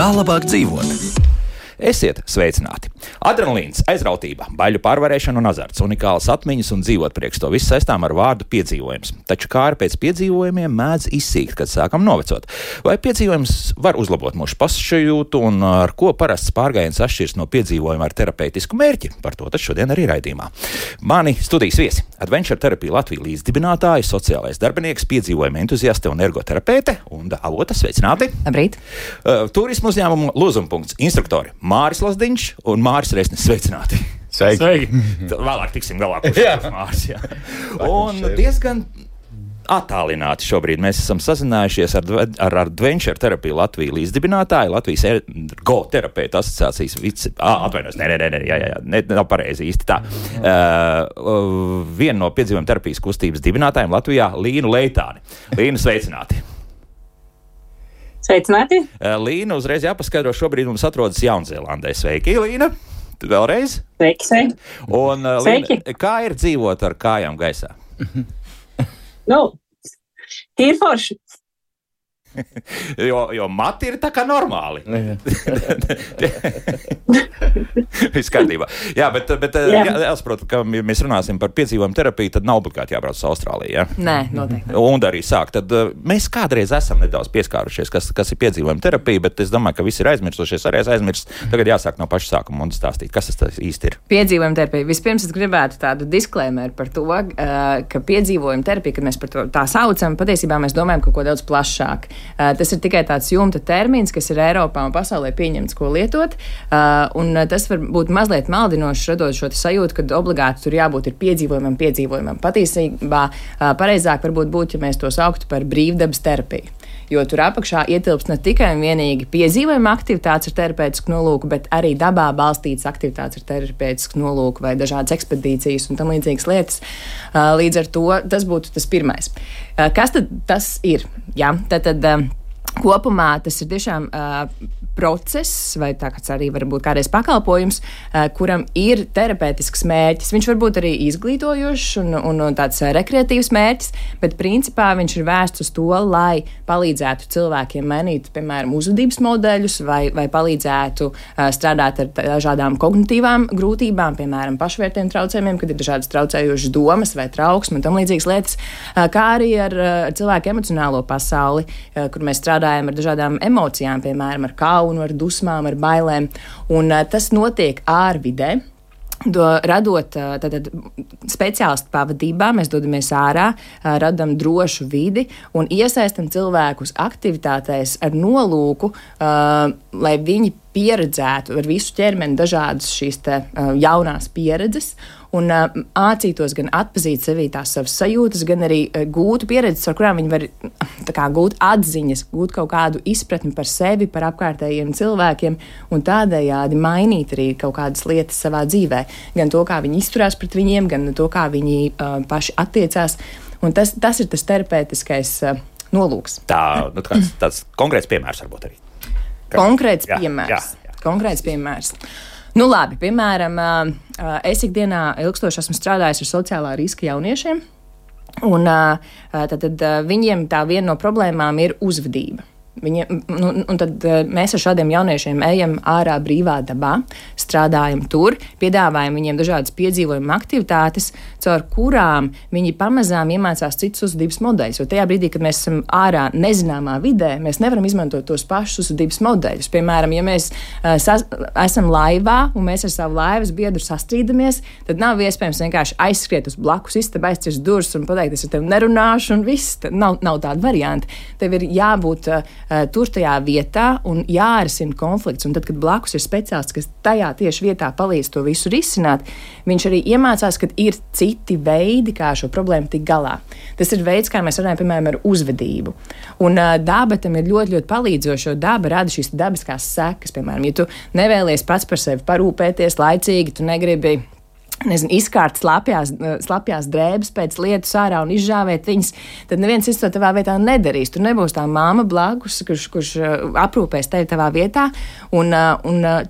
Kā labāk dzīvot? Esiet sveicināti! Adrenalīns, aizrautība, baiļu pārvarēšana un azarts, unikālas atmiņas un dzīvot priekš to visu saistām ar vārdu piedzīvojums. Taču kāri pēc piedzīvojumiem mēdz izsīkt, kad sākam novecot. Vai piedzīvojums var uzlabot mūsu pašsajūtu un ar ko parasts pārgājiens atšķirs no piedzīvojuma ar terapeitisku mērķi? Par to tad šodien arī raidījumā. Mani studijas viesi - Adventure Therapy Latvija līdzdibinātāji, sociālais darbinieks, piedzīvojuma entuziaste un ergoterapeite Unda Avota. Sveicināti! Labrīt! Turismu uzņēmumu Lūzumpunkts instruktori Māris Lazdiņš un Māris Resnis. Sveicināti! Sveiki! Vēlāk tiksim galā, kurš Māris. Jā. Un diezgan attālināti šobrīd mēs esam sazinājušies ar Adventure Therapy Latvija līdzdibinātāju, Latvijas ergoterapeita asociācijas atvainojos, nav pareizi īsti tā. Viena no piedzīvojuma terapijas kustības dibinātājiem Latvijā Līnu Leitāni. Līnu, sveicināti! Sveicināti! Līna, uzreiz jāpaskaidro, šobrīd mums atrodas Jaunzēlandē. Sveiki, Līna! Vēlreiz! Sveiki! Un, Līna, kā ir dzīvot ar kājām gaisā? Tīri forši. jo mati ir tā kā normāli. Viss kārtībā. Jā, bet jāsaprot, ka ja mēs runāsim par piedzīvojumu terapiju, tad nav obligāti jābrauc uz Austrāliju. Ja? Nē, noteikti. Un arī sāk. Tad mēs kādreiz esam nedaudz pieskārušies, kas ir piedzīvojuma terapija, bet es domāju, ka visi ir aizmirsušies, arī es aizmirst. Tagad jāsāk no paša sākuma un stāstīt, kas tas īsti ir. Piedzīvojuma terapija. Vispirms es gribētu tādu disklēmeru par to, ka piedzīvojuma terapija, kad mēs par to tā saucam, patiesībā mēs domājam kaut ko daudz plašāk. Tas ir tikai tāds jumta termins, kas ir Eiropā un pasaulē pieņemts, ko lietot. Un tas var būt mazliet maldinošs, radot šo sajūtu, ka obligāti tur jābūt ir piedzīvojumam. Patiesībā pareizāk varbūt būtu, ja mēs to sauktu par brīvdabas terapiju. Jo tur apakšā ietilpst ne tikai un vienīgi piedzīvojuma aktivitātes ar terapeitisku nolūku, bet arī dabā balstītas aktivitātes ar terapeitisku nolūku vai dažādas ekspedīcijas un tam līdzīgas lietas. Līdz ar to tas būtu tas pirmais. Kas tad tas ir? Jā, tad kopumā tas ir tiešām process, vai tā kāds arī var būt kādreiz pakalpojums, kuram ir terapeitisks mērķis. Viņš var būt arī izglītojošs un tāds rekreatīvs mērķis, bet principā viņš ir vērsts uz to, lai palīdzētu cilvēkiem mainīt, piemēram, uzvedības modeļus vai palīdzētu strādāt ar dažādām kognitīvām grūtībām, piemēram, pašvērtējumu traucējumiem, kad ir dažādas traucējošas domas vai trauksme un tam līdzīgas lietas, kā arī ar cilvēku emocionālo pasauli, kur mēs strādājam ar dažādām emocijām, piemēram, ar kaunu, ar dusmām, ar bailēm. Un tas notiek ārvidē. Radot speciālistu pavadībā, mēs dodamies ārā, radam drošu vidi un iesaistam cilvēkus aktivitātēs ar nolūku, lai viņi pieredzētu ar visu ķermeni dažādas šīs jaunās pieredzes un mācītos gan atpazīt sevī tās savas sajūtas, gan arī gūtu pieredzes, ar kurām viņi var gūt atziņas, gūt kaut kādu izpratni par sevi, par apkārtējiem cilvēkiem un tādējādi mainīt arī kaut kādas lietas savā dzīvē. Gan to, kā viņi izturās pret viņiem, gan to, kā viņi paši attiecās. Un tas ir tas terapeitiskais nolūks. Tāds konkrēts piemērs varbūt arī. Konkrēts piemērs. Nu labi, piemēram, es ikdienā ilgstoši esmu strādājis ar sociālā riska jauniešiem, un tad viņiem tā viena no problēmām ir uzvedība. Tad mēs ar šādiem jauniešiem ejam ārā brīvā dabā, strādājam tur, piedāvājam viņiem dažādas piedzīvojuma aktivitātes, caur kurām viņi pamazām iemācās citus uzvedības modeļus. Jo tajā brīdī, kad mēs esam ārā nezināmā vidē, mēs nevaram izmantot tos pašus uzvedības modeļus. Piemēram, ja mēs esam laivā un mēs ar savu laivas biedru sastrīdamies, tad nav iespējams vienkārši aizskriet uz blakus istabu, aizcirst durvis un pateikt, es ar tevi nerunāšu un viss. Nav tāda varianta. Tev ir jābūt tur tajā vietā un jārisina konflikts. Un tad, kad blakus ir speciālists, kas tajā tieši vietā palīdz to visu risināt, viņš arī iemācās, ka ir citi veidi, kā šo problēmu tikt galā. Tas ir veids, kā mēs runājam, piemēram, ar uzvedību. Un daba tam ir ļoti, ļoti palīdzoša, jo daba rada šīs dabiskās sekas. Piemēram, ja tu nevēlies pats par sevi parūpēties laicīgi, tu negribi izkārt slapjās drēbes pēc lietus ārā un izžāvēt viņas, tad neviens cits to tavā vietā nedarīs. Tur nebūs tā māma blakus, kurš aprūpēs tevi tavā vietā, un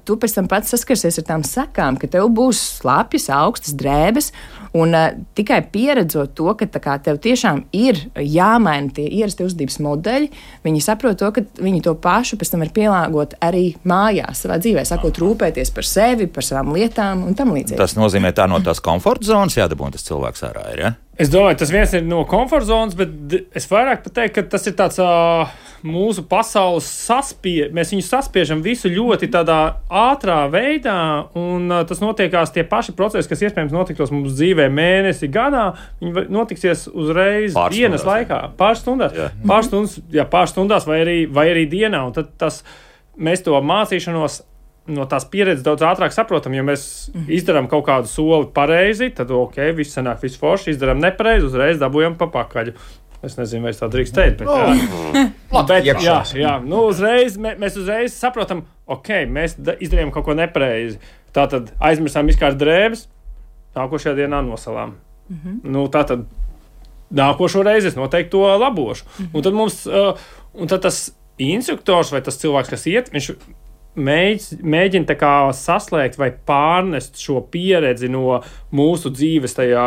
tu pēc tam pats saskarsies ar tām sekām, ka tev būs slapjas, augstas drēbes, Un tikai pieredzot to, ka kā, tev tiešām ir jāmaina tie ierasti uzvedības modeļi, viņi saprot to, ka viņi to pašu pēc tam var pielāgot arī mājās, savā dzīvē, sakot, rūpēties par sevi, par savām lietām un tam līdzīgi. Tas nozīmē tā no tās komforta zonas jādabūna tas cilvēks ārā ir, ja? Es domāju, tas viens ir no komforta zonas, bet es vairāk pateiktu, ka tas ir tāds mūsu pasaules mēs viņu saspiežam visu ļoti tādā ātrā veidā, un tas notiekās tie paši procesi, kas iespējams notiktos mums dzīvē mēnesi, gadā, viņi notiksies uzreiz dienas laikā, pāris stundās vai arī dienā, un tad mēs to mācīšanos no tās pieredzes daudz ātrāk saprotam, ja mēs izdarām kaut kādu soli pareizi, tad viss sanāk, viss forši, izdarām nepareizi, uzreiz dabūjam pa pakaļu. Es nezinu, vai es tā drīkst teikt, bet mēs uzreiz saprotam, mēs izdarījām kaut ko nepareizi. Tātad aizmirsām izkārt drēbes, nākošajā dienā nosalām. Tātad nākošo reizi es noteikti to labošu. Un tad tas instruktors vai tas cilvēks, kas iet, viņš mēģina tā kā saslēgt vai pārnest šo pieredzi no mūsu dzīves tajā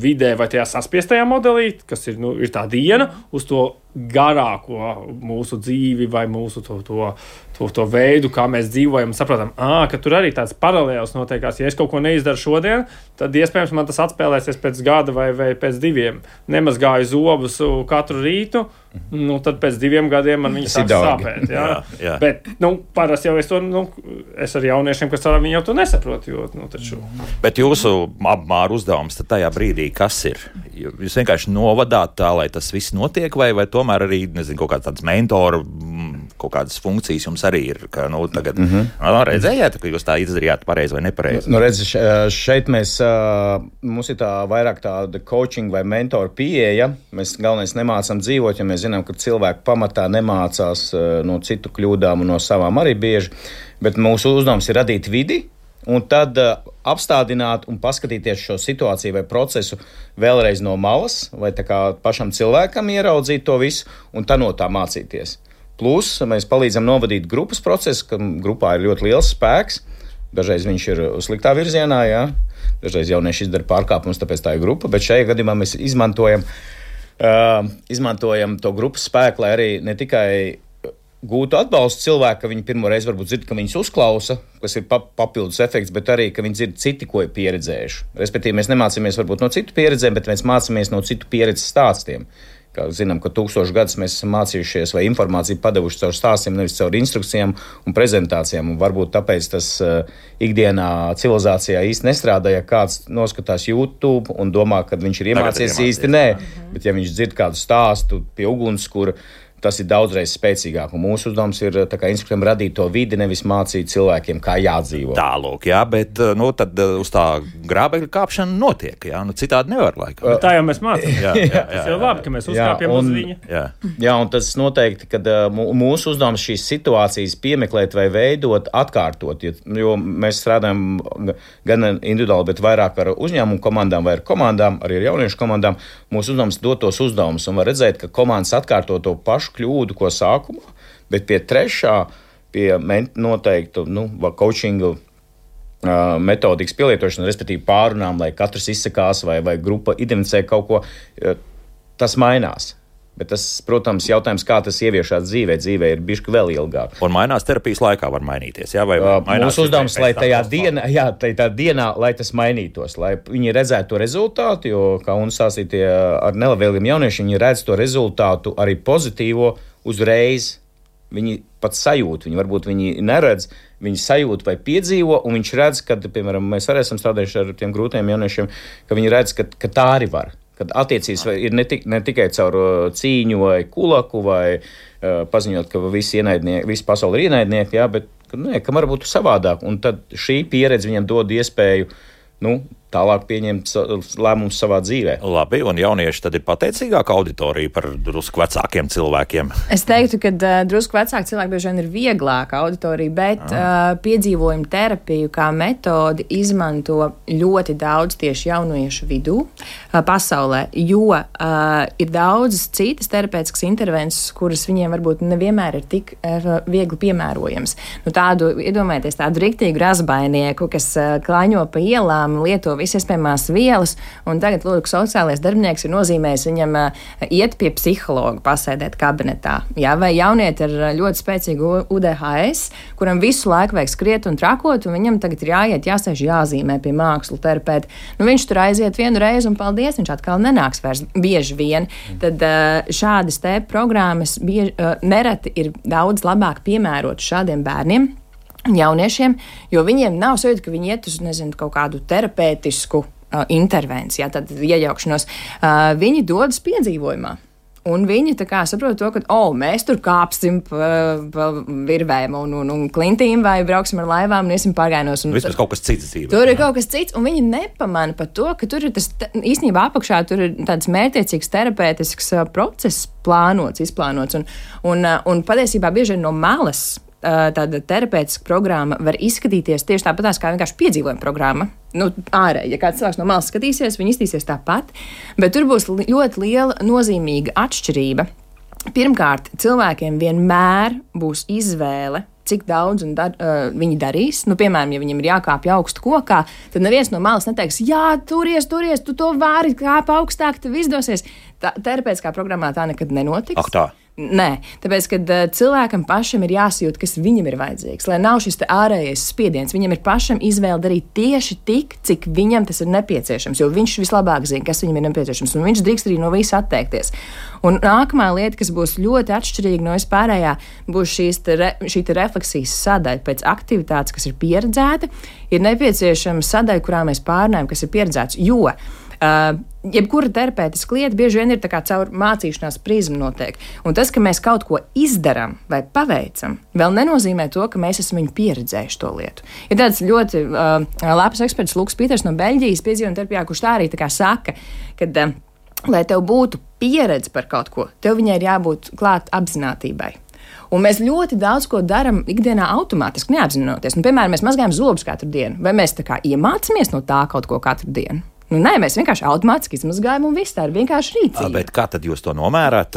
vidē vai tajā saspiestajā modelī, kas ir tā diena, uz to garāko mūsu dzīvi vai mūsu to veidu, kā mēs dzīvojam, saprotam, ka tur arī tāds paralēls notiekās. Ja es kaut ko neizdaru šodien, tad iespējams man tas atspēlēsies pēc gada vai pēc 2. Nemazgāju zobus katru rītu, tad pēc 2 gadiem man viņi sāk sāpēt. Jā. Bet, parasti jau es ar jauniešiem, kas strādā, viņi jau to nesaprot, taču. Bet jūsu apmāru uzdevums tad tajā brīdī, kas ir? Jūs vienkārši novadāt tā, lai tas viss notiek, vai tomēr arī, nezinu, kaut kāds tāds mentoru, kaut kādas funkcijas jums arī ir, ka, tagad redzējāt, ka jūs tā izdarījāt pareizi vai nepareizi? Redzi, šeit mums ir tā vairāk tāda coaching vai mentoru pieeja. Mēs galvenais nemācām dzīvot, ja mēs zinām, ka cilvēki pamatā nemācās no citu kļūdām un no savām arī bieži, bet mūsu uzdevums ir radīt vidi, un tad apstādināt un paskatīties šo situāciju vai procesu vēlreiz no malas, vai tā kā pašam cilvēkam ieraudzīt to visu, un tā no tā mācīties. Plus, mēs palīdzam novadīt grupas procesu, ka grupā ir ļoti liels spēks. Dažreiz viņš ir sliktā virzienā, jā. Dažreiz jaunieši izdara pārkāpumus, tāpēc tā ir grupa, bet šajā gadījumā mēs izmantojam to grupas spēku, lai arī ne tikai gūtu atbalstu cilvēku, ka viņi pirmo reizi varbūt dzird, ka viņus uzklausa, kas ir papildus efekts, bet arī, ka viņi dzird citi, ko ir pieredzējuši. Respektīvi, mēs nemācāmies varbūt no citu pieredzēm, bet mēs mācāmies no citu pieredzes stāstiem. Kā zinām, ka 1000 gadus mēs esam mācījušies vai informāciju padevuši caur stāstiem, nevis caur instrukcijām un prezentācijām. Un varbūt tāpēc tas ikdienā civilizācijā īsti nestrādā, ja kāds noskatās YouTube un domā, ka viņš ir iemācījies īsti nē. Bet ja viņš dzird kādu stāstu pie ugunskura, tas ir daudzreiz spēcīgāk. Un mūsu uzdevums ir instruktoriem radīt to vidi, nevis mācīt cilvēkiem, kā jādzīvo. Tālūk, jā, bet tad uz tā grābekļa kāpšana notiek, jā, citādi nevar laikam. Tā jau mēs mācām. Tas jau labi, ka mēs uzkāpjam uz viņa. Jā, un tas noteikti, kad mūsu uzdevums šīs situācijas piemeklēt vai veidot, atkārtot, jo mēs strādājam gan individuāli, bet vairāk ar uzņēmumu komandām vai ar komandām, arī ar jauniešu komandām. Mūsu uzdevums dot tos uzdevumus un var redzēt, ka komandas atkārto to pašu kļūdu, ko sākumā, bet pie trešā, pie noteiktu coachingu metodikas pielietošana, respektīvi pārunām, lai katrs izsakās vai grupa identificē kaut ko, tas mainās. Bet tas, protams, jautājums, kā tas ieviešās dzīvē ir bišķi vēl ilgāk. Un mainās terapijas laikā var mainīties, jā? Mūsu uzdevums, lai tajā dienā, lai tas mainītos, lai viņi redzētu to rezultātu, jo, kā un stāstītie ar nelabvēlīgiem jauniešiem, viņi redz to rezultātu arī pozitīvo uzreiz. Viņi pat sajūt, viņi neredz, viņi sajūt vai piedzīvo, un viņš redz, kad, piemēram, mēs arī esam strādājuši ar tiem grūtiem jauniešiem, ka viņi redz, ka tā arī var. Kad attiecības ir ne tikai caur cīņu vai kulaku vai paziņot, ka visi pasauli ir ienaidnieki, jā, bet ka var būt savādāk. Un tad šī pieredze viņam dod iespēju tālāk pieņemt lēmumus savā dzīvē. Labi, un jaunieši tad ir pateicīgāka auditorija par drusku vecākiem cilvēkiem? Es teiktu, ka drusku vecāki cilvēki bieži vien ir vieglāka auditorija, bet piedzīvojumu terapiju kā metodi izmanto ļoti daudz tieši jauniešu vidū pasaulē, jo ir daudzas citas terapeitiskas intervences, kuras viņiem varbūt nevienmēr ir tik viegli piemērojams. Iedomājieties tādu riktīgu razbainieku, kas klāņo pa ielām, lieto visas iespējamās vielas, un tagad, lūk, sociālais darbinieks ir nozīmējis viņam iet pie psihologa, pasēdēt kabinetā. Jā, vai jaunieti ar ļoti spēcīgu UDHS, kuram visu laiku vajag skriet un trakot, un viņam tagad ir jāsēž jāzīmē pie mākslu terapeita. Nu, viņš tur aiziet vienu reizi, un paldies, viņš atkal nenāks vairs bieži vien. Tad šādas te programmas nereti ir daudz labāk piemērotas šādiem bērniem, jauniešiem, jo viņiem nav sajūta, ka viņi iet uz, nezinu, kaut kādu terapeitisku intervenciju, tad iejaukšanos. Viņi dodas piedzīvojumā. Un viņi tā kā saprot to, ka, mēs tur kāpsim pa virvēm un klintīm vai brauksim ar laivām un iesim pagainos. Vismaz kaut kas cits dzīvē. Tur ir kaut kas cits, un viņi nepamana par to, ka tur ir tas, īstenībā apakšā tur ir tāds mērķiecīgs terapeitisks process izplānots, un patiesībā bieži no malas tāda terapeitiska programma var izskatīties tieši tāpatās kā vienkārši piedzīvojuma programma. Ārēji, ja kāds cilvēks no malas skatīsies, viņi iztīsies tāpat, bet tur būs ļoti liela nozīmīga atšķirība. Pirmkārt, cilvēkiem vienmēr būs izvēle, cik daudz viņi darīs. Piemēram, ja viņam ir jākāpj augstu kokā, tad neviens no malas neteiks, jā, turies, tu to vari, kāp augstāk, tev izdosies. Terapeitiskā programmā tā nekad nenotiks. Ak tā. Nē, tāpēc, kad cilvēkam pašam ir jāsajūt, kas viņam ir vajadzīgs, lai nav šis ārējais spiediens, viņam ir pašam izvēle darīt tieši tik, cik viņam tas ir nepieciešams, jo viņš vislabāk zina, kas viņam ir nepieciešams, un viņš drīkst arī no visa atteikties. Un nākamā lieta, kas būs ļoti atšķirīga no vispārējā, būs šī refleksijas sadaļa pēc aktivitātes, kas ir pieredzēta, ir nepieciešama sadaļa, kurā mēs pārnājam, kas ir pieredzēts, jo jebkura terapeitiska lieta bieži vien ir tā kā caur mācīšanās prizmu notiek. Un tas, ka mēs kaut ko izdarām vai paveicam, vēl nenozīmē to, ka mēs esam viņu pieredzējuši to lietu. Ir tāds ļoti labs eksperts Luks Pīters no Beļģijas piedzīvojuma terapijā, kurš tā arī tā kā saka, ka, lai tev būtu pieredze par kaut ko, tev viņai ir jābūt klāt apzinātībai. Un mēs ļoti daudz ko darām ikdienā automātiski, neapzinoties. Piemēram, mēs mazgājam zobus katru dienu, vai mēs tā kā iemācāmies no tā kaut ko katru dienu? Nē, mēs vienkārši automātiski izmazgājam, un viss tā ir vienkārši rīcība. Bet kā tad jūs to nomērāt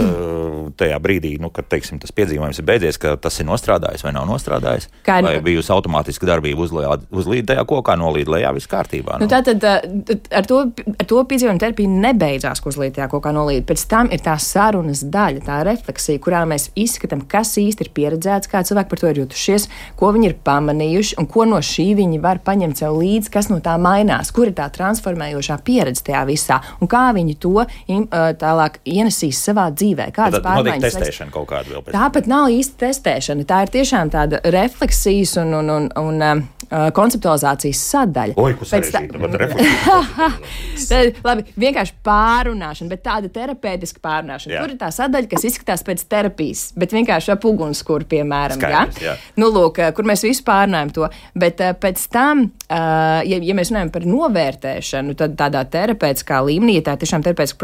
tajā brīdī, kad, teiksim, tas piedzīvojums ir beidzies, ka tas ir nostrādājis vai nav nostrādājis? Vai bijusi automātiska darbība uzlīd tajā kokā, nolīd lejā, viss kārtībā? Tātad ar to piedzīvojumu terapija nebeidzās, ka uzlīd tajā kokā nolīd. Pēc tam ir tā sarunas daļa, tā refleksija, kurā mēs izskatām, kas īsti ir pieredzēts, kā cilvēki par to ir jutušies, ko viņi ir pamanījuši un ko no šī viņi var paņemt sev līdzi, kas no tā mainās, kur ir tā transformējoša pieredze tajā visā, un kā viņi to tālāk ienesīs savā dzīvē. Kādas pārmaiņas? Notiek testēšana kaut kāda vēl pēc. Tāpat nav īsti testēšana. Tā ir tiešām tāda refleksijas un konceptualizācijas sadaļa. Oi, ko sarežģīta, refleksija. Labi, vienkārši pārunāšana, bet tāda terapeitiska pārunāšana. Tur ir tā sadaļa, kas izskatās pēc terapijas, bet vienkārši ap ugunskura, piemēram. Skaidrs, jā. Lūk, kur mēs visu pārunājam to. Bet pēc tam, ja mēs runājam par novērtēšanu, tad tādā terapeitiskā līmenī, ja tā ir tiešām terapeitiska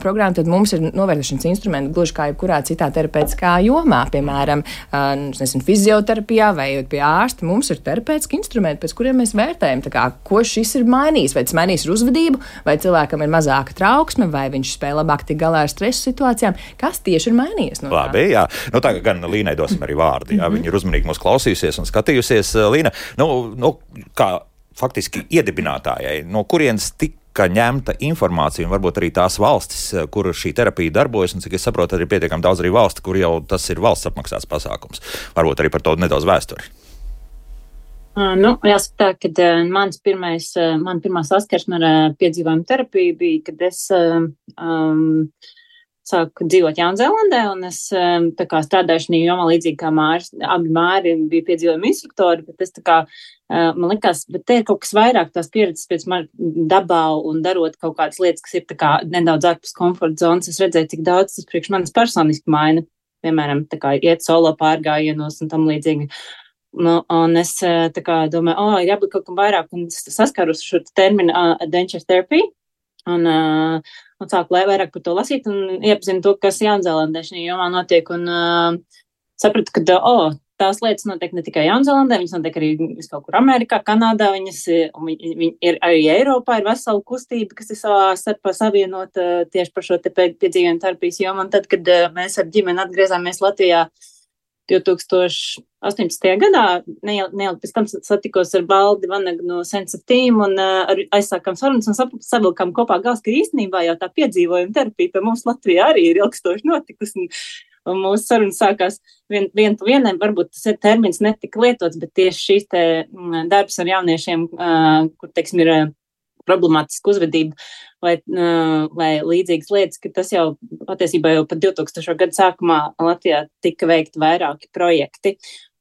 programma, tad mums ir novērtēšanas instrumenti, gluži kā jebkurā citā terapeitiskā jomā, piemēram, fizioterapijā vai pie ārsta, mums ir terapeitiski instrumenti, pēc kuriem mēs vērtējam, ko šis ir mainījis, vai tas mainījis ar uzvedību, vai cilvēkam ir mazāka trauksme, vai viņš spēj labāk tikt galā ar stresa situācijām, kas tieši ir mainījies no tā. Labi, jā. Tagad gan Līnai dosim arī vārdu, jā. Viņa ir uzmanīgi mūs klausījusies un skatījusies. Līna, kā faktiski iedibinātājai, no kurienes tika ņemta informācija un varbūt arī tās valstis, kur šī terapija darbojas, un cik es saprotu, arī pietiekami daudz arī valsti, kur jau tas ir valsts apmaksāts pasākums. Varbūt arī par to nedaudz vēsturi. Jāsaka tā, ka man pirmā saskarsme ar piedzīvojumu terapiju bija, kad es sāku dzīvot Jaunzēlandē, un es strādāju šajā jomā līdzīgi kā Māris. Abi Māri bija piedzīvojuma instruktori, bet es man likās, bet te ir kaut kas vairāk tās pieredzes pēc man dabā un darot kaut kādas lietas, kas ir nedaudz ārpus komforta zonas. Es redzēju, cik daudz tas priekš manis personiski maina. Piemēram, iet solo pārgājienos un tam līdzīgi. Un es domāju, ir jābūt kaut kam vairāk, un es saskāros šo terminu adventure therapy, un sāku vairāk par to lasīt, un iepazinu to, kas Jaunzēlandē šajā jomā notiek, un sapratu, ka, tās lietas notiek ne tikai Jaunzēlandē, viņas notiek arī kaut kur Amerikā, Kanādā, viņas ir arī Eiropā, ir vesela kustība, kas ir savā starpā savienota tieši par šo te piedzīvojumu terapijas jomu, un tad, kad mēs ar ģimeni atgriezāmies Latvijā, 2018. gadā, neilgi pēc tam satikos ar Valdi Vanagu no Sense of Team un aizsākām sarunas un savilkām kopā gals, ka īstenībā jau tā piedzīvojuma terapija pie mums Latvijā arī ir ilgstoši notikusi. Un mūsu sarunas sākās vien pa vienam, varbūt tas termins netika lietots, bet tieši šīs te darbs ar jauniešiem, kur, teiksim, ir problemātiska uzvedība vai līdzīgas lietas, ka tas jau patiesībā jau pat 2000. Gadu sākumā Latvijā tika veikti vairāki projekti.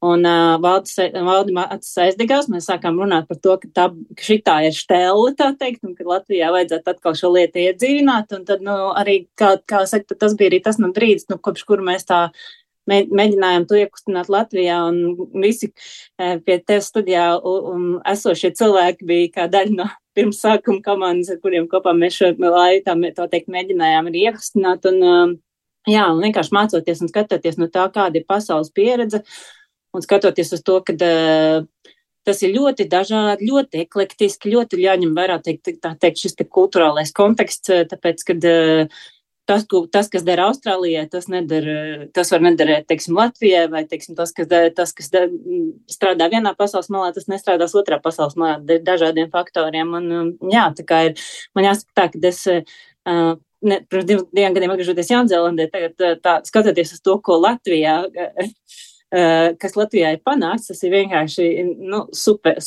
Un Valdi acis aizdegās, mēs sākām runāt par to, ka šitā ir štelle, tā teikt, un ka Latvijā vajadzētu atkal šo lietu iedzīvināt, un tad, arī, kā saka, tas bija arī tas brīdis, kopš kuru mēs tā mēģinājām to iekustināt Latvijā, un visi pie tevis studijā esošie cilvēki bija kā daļa no pirms sākuma komandas, ar kuriem kopā mēs šo laitu, tā teikt, mēģinājām arī iekustināt, un vienkārši mācoties un skatoties no tā, kāda ir pasaules pieredze, un skatoties uz to, ka tas ir ļoti dažādi, ļoti eklektiski, ļoti jāņem vērā, tā teikt, šis te kulturālais konteksts, tāpēc, kad tas, kas dara Austrālijai, tas var nederēt, teiksim, Latvijai, vai, teiksim, tas, kas strādā vienā pasaules malā, tas nestrādās otrā pasaules malā, dažādiem faktoriem. Un, tā kā ir, man jāsaka tā, ka es, pirms diviem gadiem atgriežoties Jaunzēlandē, tagad skatoties uz to, ko Latvijā, kas Latvijā ir panāks, tas ir vienkārši super,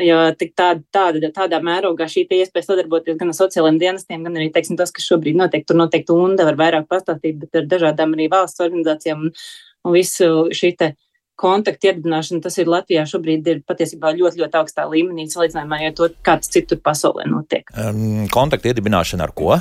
jo tik tādā mērogā šī iespēja sadarboties gan ar sociālajiem dienestiem, gan arī, teiksim, tas, kas šobrīd notiek, tur noteikti UNDA var vairāk pastāstīt, bet ar dažādām arī valsts organizācijām un visu šī te kontaktu iedibināšana, tas ir Latvijā šobrīd ir patiesībā ļoti, ļoti augstā līmenī, salīdzinājumā ar to, kāds citur pasaulē notiek. Kontaktu iedibināšana ar ko?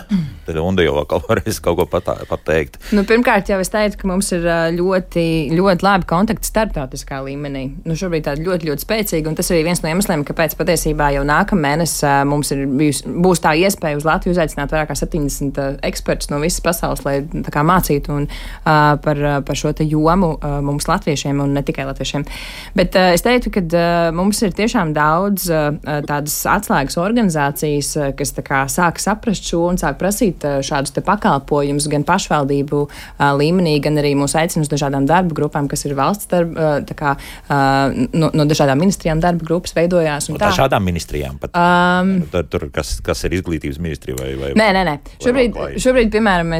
Tad UNDA jau varēs kaut ko pateikt. Pirmkārt, jau es teicu, ka mums ir ļoti, ļoti labi kontakti starptautiskā līmenī. Šobrīd tādi ļoti, ļoti spēcīgi, un tas arī viens no iemesliem, kāpēc patiesībā jau nākamēnes mums būs tā iespēja uz Latviju uzaicināt vairāk kā 70 ekspertus no visas pasaules, lai tā kā mācītu par šo te jomu mums latviešiem un ne tikai latviešiem. Bet es teiktu, ka mums ir tiešām daudz tādas atslēgas organizācijas, kas tā kā sāk saprast šo un sāk prasīt šādus te pakalpojumus gan pašvaldību līmenī, gan arī mūs aicina uz dažādām darba grupām, kas ir valsts darba, tā kā no dažādām ministrijām darba grupas veidojās. Un dažādām ministrijām pat? Tur, kas ir izglītības ministrija vai Nē. Šobrīd, piemēram,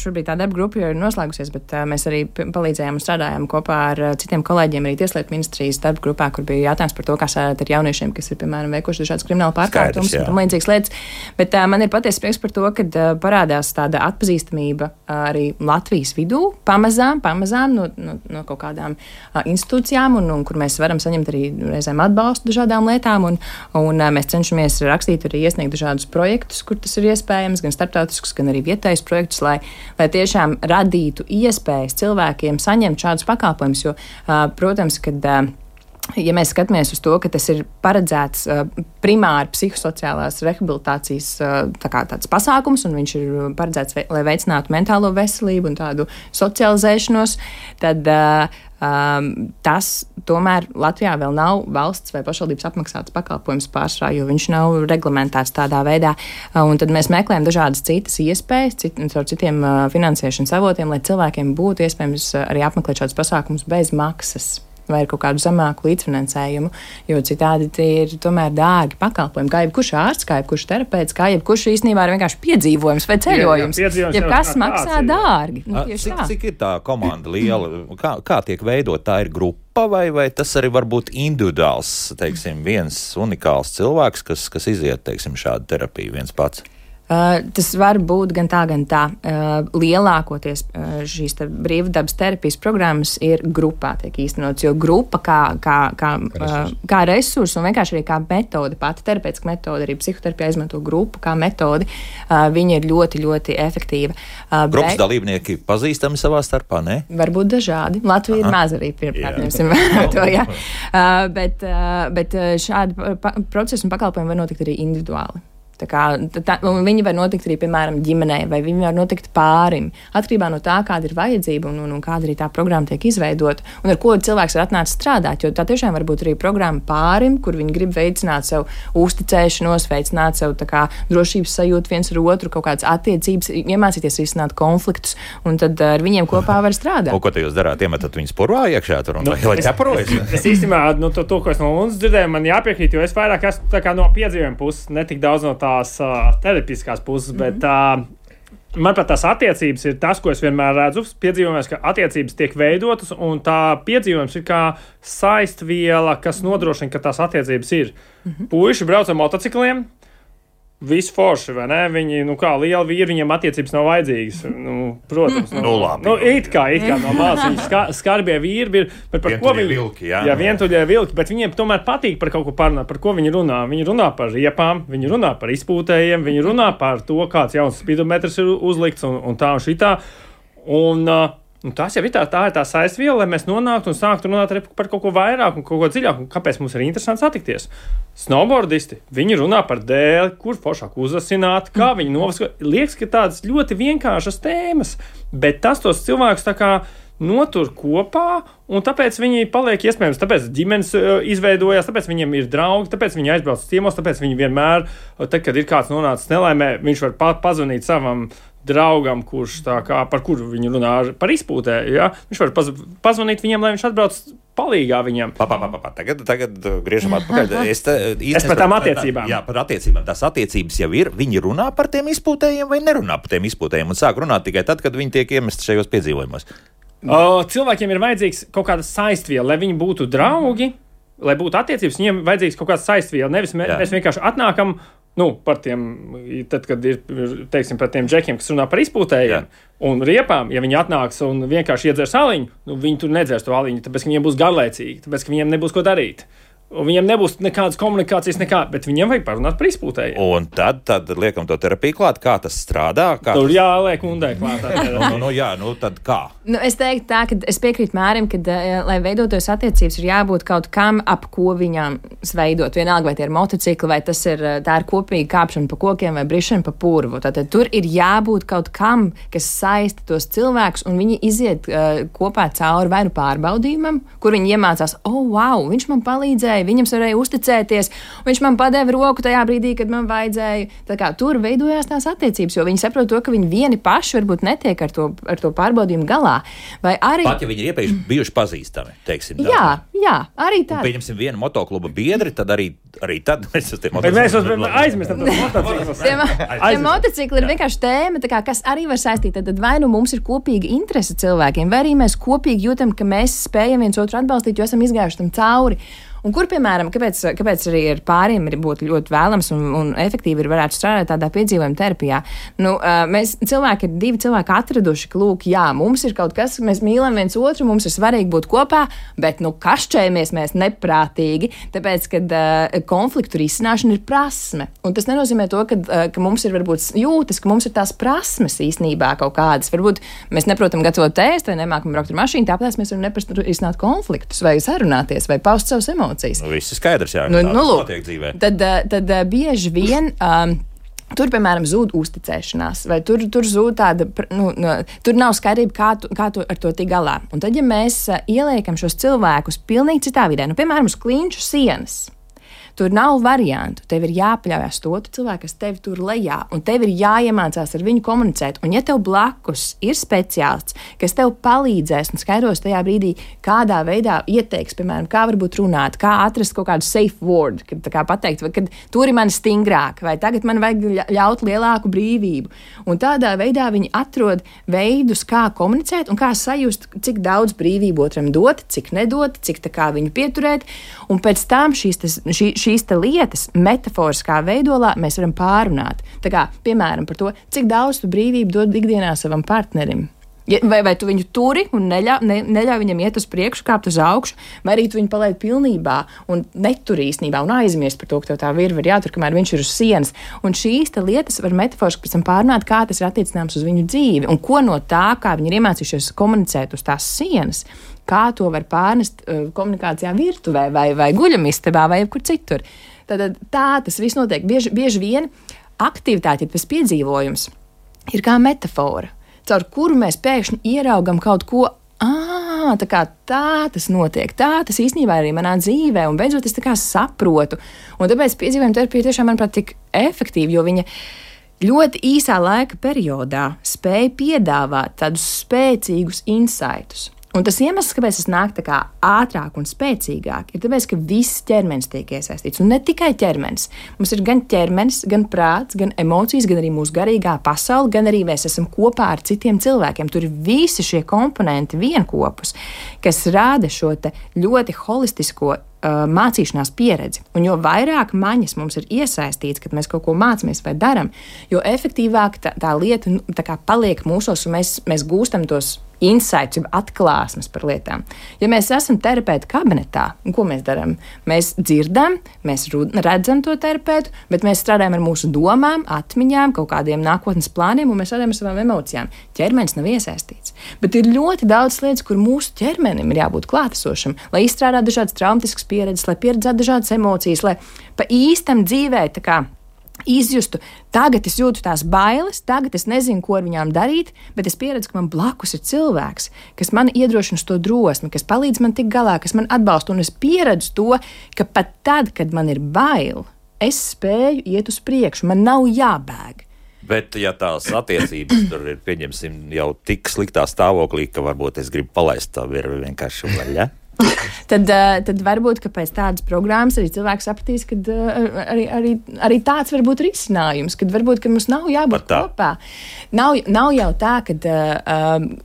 šobrīd tā darba grupa jau ir noslēgusies, bet mēs arī palīdzējām un strādājām kopā ar citiem kolēģiem arī Tieslietu ministrijas darba grupā, kur bija jautājums par to, kā strādāt ar jauniešiem, kas ir, piemēram, veikuši dažādas krimināla pārkāpumus un līdzīgas lietas. Bet man ir patiesi prieks par to, ka parādās tāda atpazīstamība arī Latvijas vidū, pamazām no kaut kādām institūcijām, un kur mēs varam saņemt arī reizēm atbalstu dažādām lietām, un mēs cenšamies rakstīt arī iesniegt dažādus projektus, kur tas ir iespējams, gan starptautiskus, gan arī vietējus projektus, lai tiešām radītu iespējas cilvēkiem saņemt šādus pakalpojumus. Jo, protams, kad ja mēs skatāmies uz to, ka tas ir paredzēts primāri psihosociālās rehabilitācijas tāds pasākums, un viņš ir paredzēts, lai veicinātu mentālo veselību un tādu socializēšanos, tad tas tomēr Latvijā vēl nav valsts vai pašvaldības apmaksāts pakalpojums pārsvarā, jo viņš nav reglamentēts tādā veidā. Un tad mēs meklējam dažādas citas iespējas, caur citiem finansēšanas avotiem, lai cilvēkiem būtu iespējams arī apmeklēt šādus pasākumus bez maksas vai ar kaut kādu zemāku līdzfinansējumu, jo citādi tie ir tomēr dārgi pakalpojumi, kā jebkurš ārsts, kā jebkurš terapeits, kā jebkurš īstenībā ir vienkārši piedzīvojums vai ceļojums. Jebkas maksā dārgi. Cik ir tā komanda liela? Kā tiek veidot? Tā ir grupa vai tas arī var būt individuāls, teiksim, viens unikāls cilvēks, kas iziet, teiksim, šādu terapiju viens pats? Tas var būt gan tā. Lielākoties šīs brīvdabas terapijas programmas ir grupā tiek īstenots, jo grupa kā resursu un vienkārši arī kā metode, pati terapeitiska metode, arī psihoterapijā izmanto grupu kā metodi, viņa ir ļoti, ļoti efektīva. Grupas dalībnieki pazīstami savā starpā, ne? Varbūt dažādi. Latvija ir maz arī pirmkārtņemsim to, jā. Bet šādi procesi un pakalpojumi var notikt arī individuāli. Viņi var notikt arī, piemēram, ģimenei, vai viņi var notikt pārim. Atkarībā no tā, kāda ir vajadzība un kāda arī tā programma tiek izveidota, un ar ko cilvēks ir atnācis strādāt. Jo tā tiešām var būt arī programma pārim, kur viņi grib veicināt sev uzticēšanos, veicināt sev drošības sajūtu viens ar otru, kaut kādas attiecības, iemācīties risināt konfliktus, un tad ar viņiem kopā var strādāt. Un ko te jūs darāt? Iemetat viņus purvā iekšā tur un vai ķeparojas? Es īstenībā, to, ko es no Unas dzirdēju, man jāpiekrīt, jo es vairāk esmu no piedzīvojuma puses, ne tik daudz no tās terapiskās puses, bet manuprāt, tās attiecības ir tas, ko es vienmēr redzu piedzīvojumos, ka attiecības tiek veidotas, un tā piedzīvojums ir kā saistviela, kas nodrošina, ka tās attiecības ir. Puiši brauc ar motocikliem, visi forši, vai ne? Viņi, kā lieli vīri, viņiem attiecības nav vajadzīgas. Protams. Labi. It kā no malas. Viņi skarbie vīri ir, bet par ko viņi... Vilki, jā. Jā, vientuļie vilki, bet viņiem tomēr patīk par kaut ko parunāt. Par ko viņi runā? Viņi runā par riepām, viņi runā par izpūtējiem, viņi runā par to, kāds jauns spidometrs ir uzlikts un tā un šitā. Un tas jau ir tā saistviela, lai mēs nonāktu un sāktu runāt par kaut ko vairāk un kaut ko dziļāk. Kāpēc mums ir interesanti satikties? Snowboardisti, viņi runā par dēli, kur foršāk uzasināt, kā viņi novaskot. Liekas, ka tādas ļoti vienkāršas tēmas, bet tas tos cilvēkus notur kopā, un tāpēc viņi paliek iespējams, tāpēc ģimenes izveidojās, tāpēc viņiem ir draugi, tāpēc viņi aizbrauc ciemos, tāpēc viņi vienmēr, tad, kad ir kāds nonācis nelaimē, viņš var pazvanīt savam draugam, kurš par kuru viņi runā par izpūtē, ja? Viņš var pazvanīt viņiem, lai viņš atbrauc palīgā viņam. Tagad griežam atpakaļ. Es par tām attiecībām. Jā, par attiecībām. Tās attiecības jau ir. Viņi runā par tiem izpūtējiem vai nerunā par tiem izpūtējiem un sāk runāt tikai tad, kad viņi tiek iemesti šajos piedzīvojumos. Cilvēkiem ir vajadzīgs kaut kāda saistviela, lai viņi būtu draugi, lai būtu attiecības, viņiem vajadzīgs kaut kāda saistviela. Nevis mēs vienkārši atnākam par tiem, tad, kad ir, teiksim, par tiem džekiem, kas runā par izpūtējiem un riepām, ja viņi atnāks un vienkārši iedzers aliņu, viņi tur nedzers to aliņu, tāpēc, ka viņiem būs garlaicīgi, tāpēc, ka viņiem nebūs ko darīt. Un viņiem nebūs nekādas komunikācijas, bet viņiem vajag parunāt par izpūtējiem. Un tad liekam to terapiju klāt, kā tas strādā. Tur jāliek undē klāt. Tad kā? Es teiktu tā, ka es piekrītu Mārim, ka, lai veidotos attiecības, ir jābūt kaut kam, ap ko viņām veidot. Vienalga, vai tie ir motocikli, vai tā ir kopīga kāpšana pa kokiem vai brišana pa purvu. Tātad tur ir jābūt kaut kam, kas saista tos cilvēkus, un viņi iziet kopā cauri vai nu pārbaudījumam, kur viņi iemācās, wow, viņš man palīdzēja, viņam varēja uzticēties, viņš man padeva roku tajā brīdī, kad man vajadzēja. Tā kā tur veidojās tās attiecības, jo viņi saprot to, ka viņi vieni paši varbūt netiek ar to pārbaudījumu galā. Vai arī... Pat, ja viņi ir iepriekš bijuši pazīstami, teiksim. Jā, arī tā. Pieņemsim vienu motokluba biedri, tad arī tad mēs uz tiem motocikliem. Mēs aizmirstam tos motociklus. Tie motocikli ir vienkārši tēma, kas arī var saistīt. Tad vai nu mums ir kopīga interese cilvēkiem, vai arī mēs kopīgi jūtam, ka mēs spējam viens otru atbalstīt, jo esam izgājuši tam cauri. Un kur, piemēram, kāpēc arī ar pāriem ir būtu ļoti vēlams un efektīvi ir varētu strādāt tādā piedzīvojuma terapijā? Mēs ir divi cilvēki atraduši, ka, lūk, jā, mums ir kaut kas, mēs mīlam viens otru, mums ir svarīgi būt kopā, bet, kašķējamies mēs neprātīgi, tāpēc, kad konfliktu risināšana ir prasme. Un tas nenozīmē to, ka mums ir varbūt jūtas, ka mums ir tās prasmes īstenībā kaut kādas. Varbūt mēs neprotam gatavot ēst vai nemākam braukt ar mašīnu, tāpēc mēs varam risināt konfliktus vai sarunāties vai paust savus emocijas. Viss ir skaidrs, jā, tas notiek dzīvē. Tad bieži vien tur, piemēram, zūd uzticēšanās, vai tur zūd tāda, tur nav skaidrība, kā tu ar to tik galā. Un tad, ja mēs ieliekam šos cilvēkus pilnīgi citā vidē, piemēram, uz klinšu sienas, tur nav variantu. Tev ir jāpaļaujas to cilvēku, kas tevi tur lejā, un tev ir jāiemācās ar viņu komunicēt. Un ja tev blakus ir speciālists, kas tev palīdzēs un skaidros tajā brīdī, kādā veidā ieteiks, piemēram, kā varbūt runāt, kā atrast kaut kādu safe word, kad pateikt, vai kad tur ir mani stingrāk, vai tagad man vajag ļaut lielāku brīvību. Un tādā veidā viņi atrod veidus, kā komunicēt un kā sajust, cik daudz brīvību otram dot, cik nedot, cik tā kā viņu pieturēt. Un pēc tam šīs lietas metaforiskā veidolā mēs varam pārunāt. Tā kā, piemēram, par to, cik daudz tu brīvību dod ikdienā savam partnerim. Vai tu viņu turi un neļauj viņam iet uz priekšu, kāpt uz augšu, vai arī tu viņu palaid pilnībā un neturi īstenībā un aizmirst par to, ka tev tā virva ir jātur, kamēr viņš ir uz sienas. Un šīs lietas var metaforiski pēc tam pārunāt, kā tas ir attiecināms uz viņu dzīvi un ko no tā, kā viņi ir iemācījušies komunicēt uz tās sienas, kā to var pārnest komunikācijā virtuvē vai guļamistabā vai jebkur citur. Tā tas viss notiek. Bieži vien aktivitāte, ja tas piedzīvojums ir kā metafora, caur kuru mēs pēkšņi ieraugam kaut ko, tā tas notiek, tā tas īstenībā arī manā dzīvē, un beidzot es tā kā saprotu. Un tāpēc piedzīvojuma terapija tiešām, manuprāt, tik efektīva, jo viņa ļoti īsā laika periodā spēja piedāvāt tādus spēcīgus insightus. Un tas iemesls, kāpēc tas nāk tā kā ātrāk un spēcīgāk, ir tāpēc, ka viss ķermenis tiek iesaistīts. Un ne tikai ķermenis. Mums ir gan ķermenis, gan prāts, gan emocijas, gan arī mūsu garīgā pasaule, gan arī mēs esam kopā ar citiem cilvēkiem. Tur ir visi šie komponenti vienkopus, kas rāda šo te ļoti holistisko mācīšanās pieredzi. Un jo vairāk maņas mums ir iesaistīts, kad mēs kaut ko mācāmies vai daram, jo efektīvāk tā lieta tā kā paliek mūsos, un mēs gūstam tos insights, jeb atklāsmes par lietām. Ja mēs esam terapeita kabinetā, ko mēs darām? Mēs dzirdam, mēs redzam to terapeitu, bet mēs strādājam ar mūsu domām, atmiņām, kaut kādiem nākotnes plāniem, un mēs strādājam ar savām emocijām. Ķermenis nav iesaistīts. Bet ir ļoti daudz lietas, kur mūsu ķermenim ir jābūt klātesošam, lai izstrādātu dažādas traumatiskas pieredzes, lai pieredzētu dažādas emocijas, lai pa īstam dzīvē tā kā izjustu, tagad es jūtu tās bailes, tagad es nezinu, ko ar viņām darīt, bet es pieredzu, ka man blakus ir cilvēks, kas man iedrošina uz to drosmi, kas palīdz man tikt galā, kas man atbalsta, un es pieredzu to, ka pat tad, kad man ir bail, es spēju iet uz priekšu, man nav jābēg. Bet, ja tās attiecības tur ir, pieņemsim, jau tik sliktā stāvoklī, ka varbūt es gribu palaist tā virvi vienkārši vaļā. Tad varbūt, ka pēc tādas programmas arī cilvēks sapratīs, ka arī tāds var būt risinājums, kad varbūt, ka mums nav jābūt kopā. Nav jau tā, ka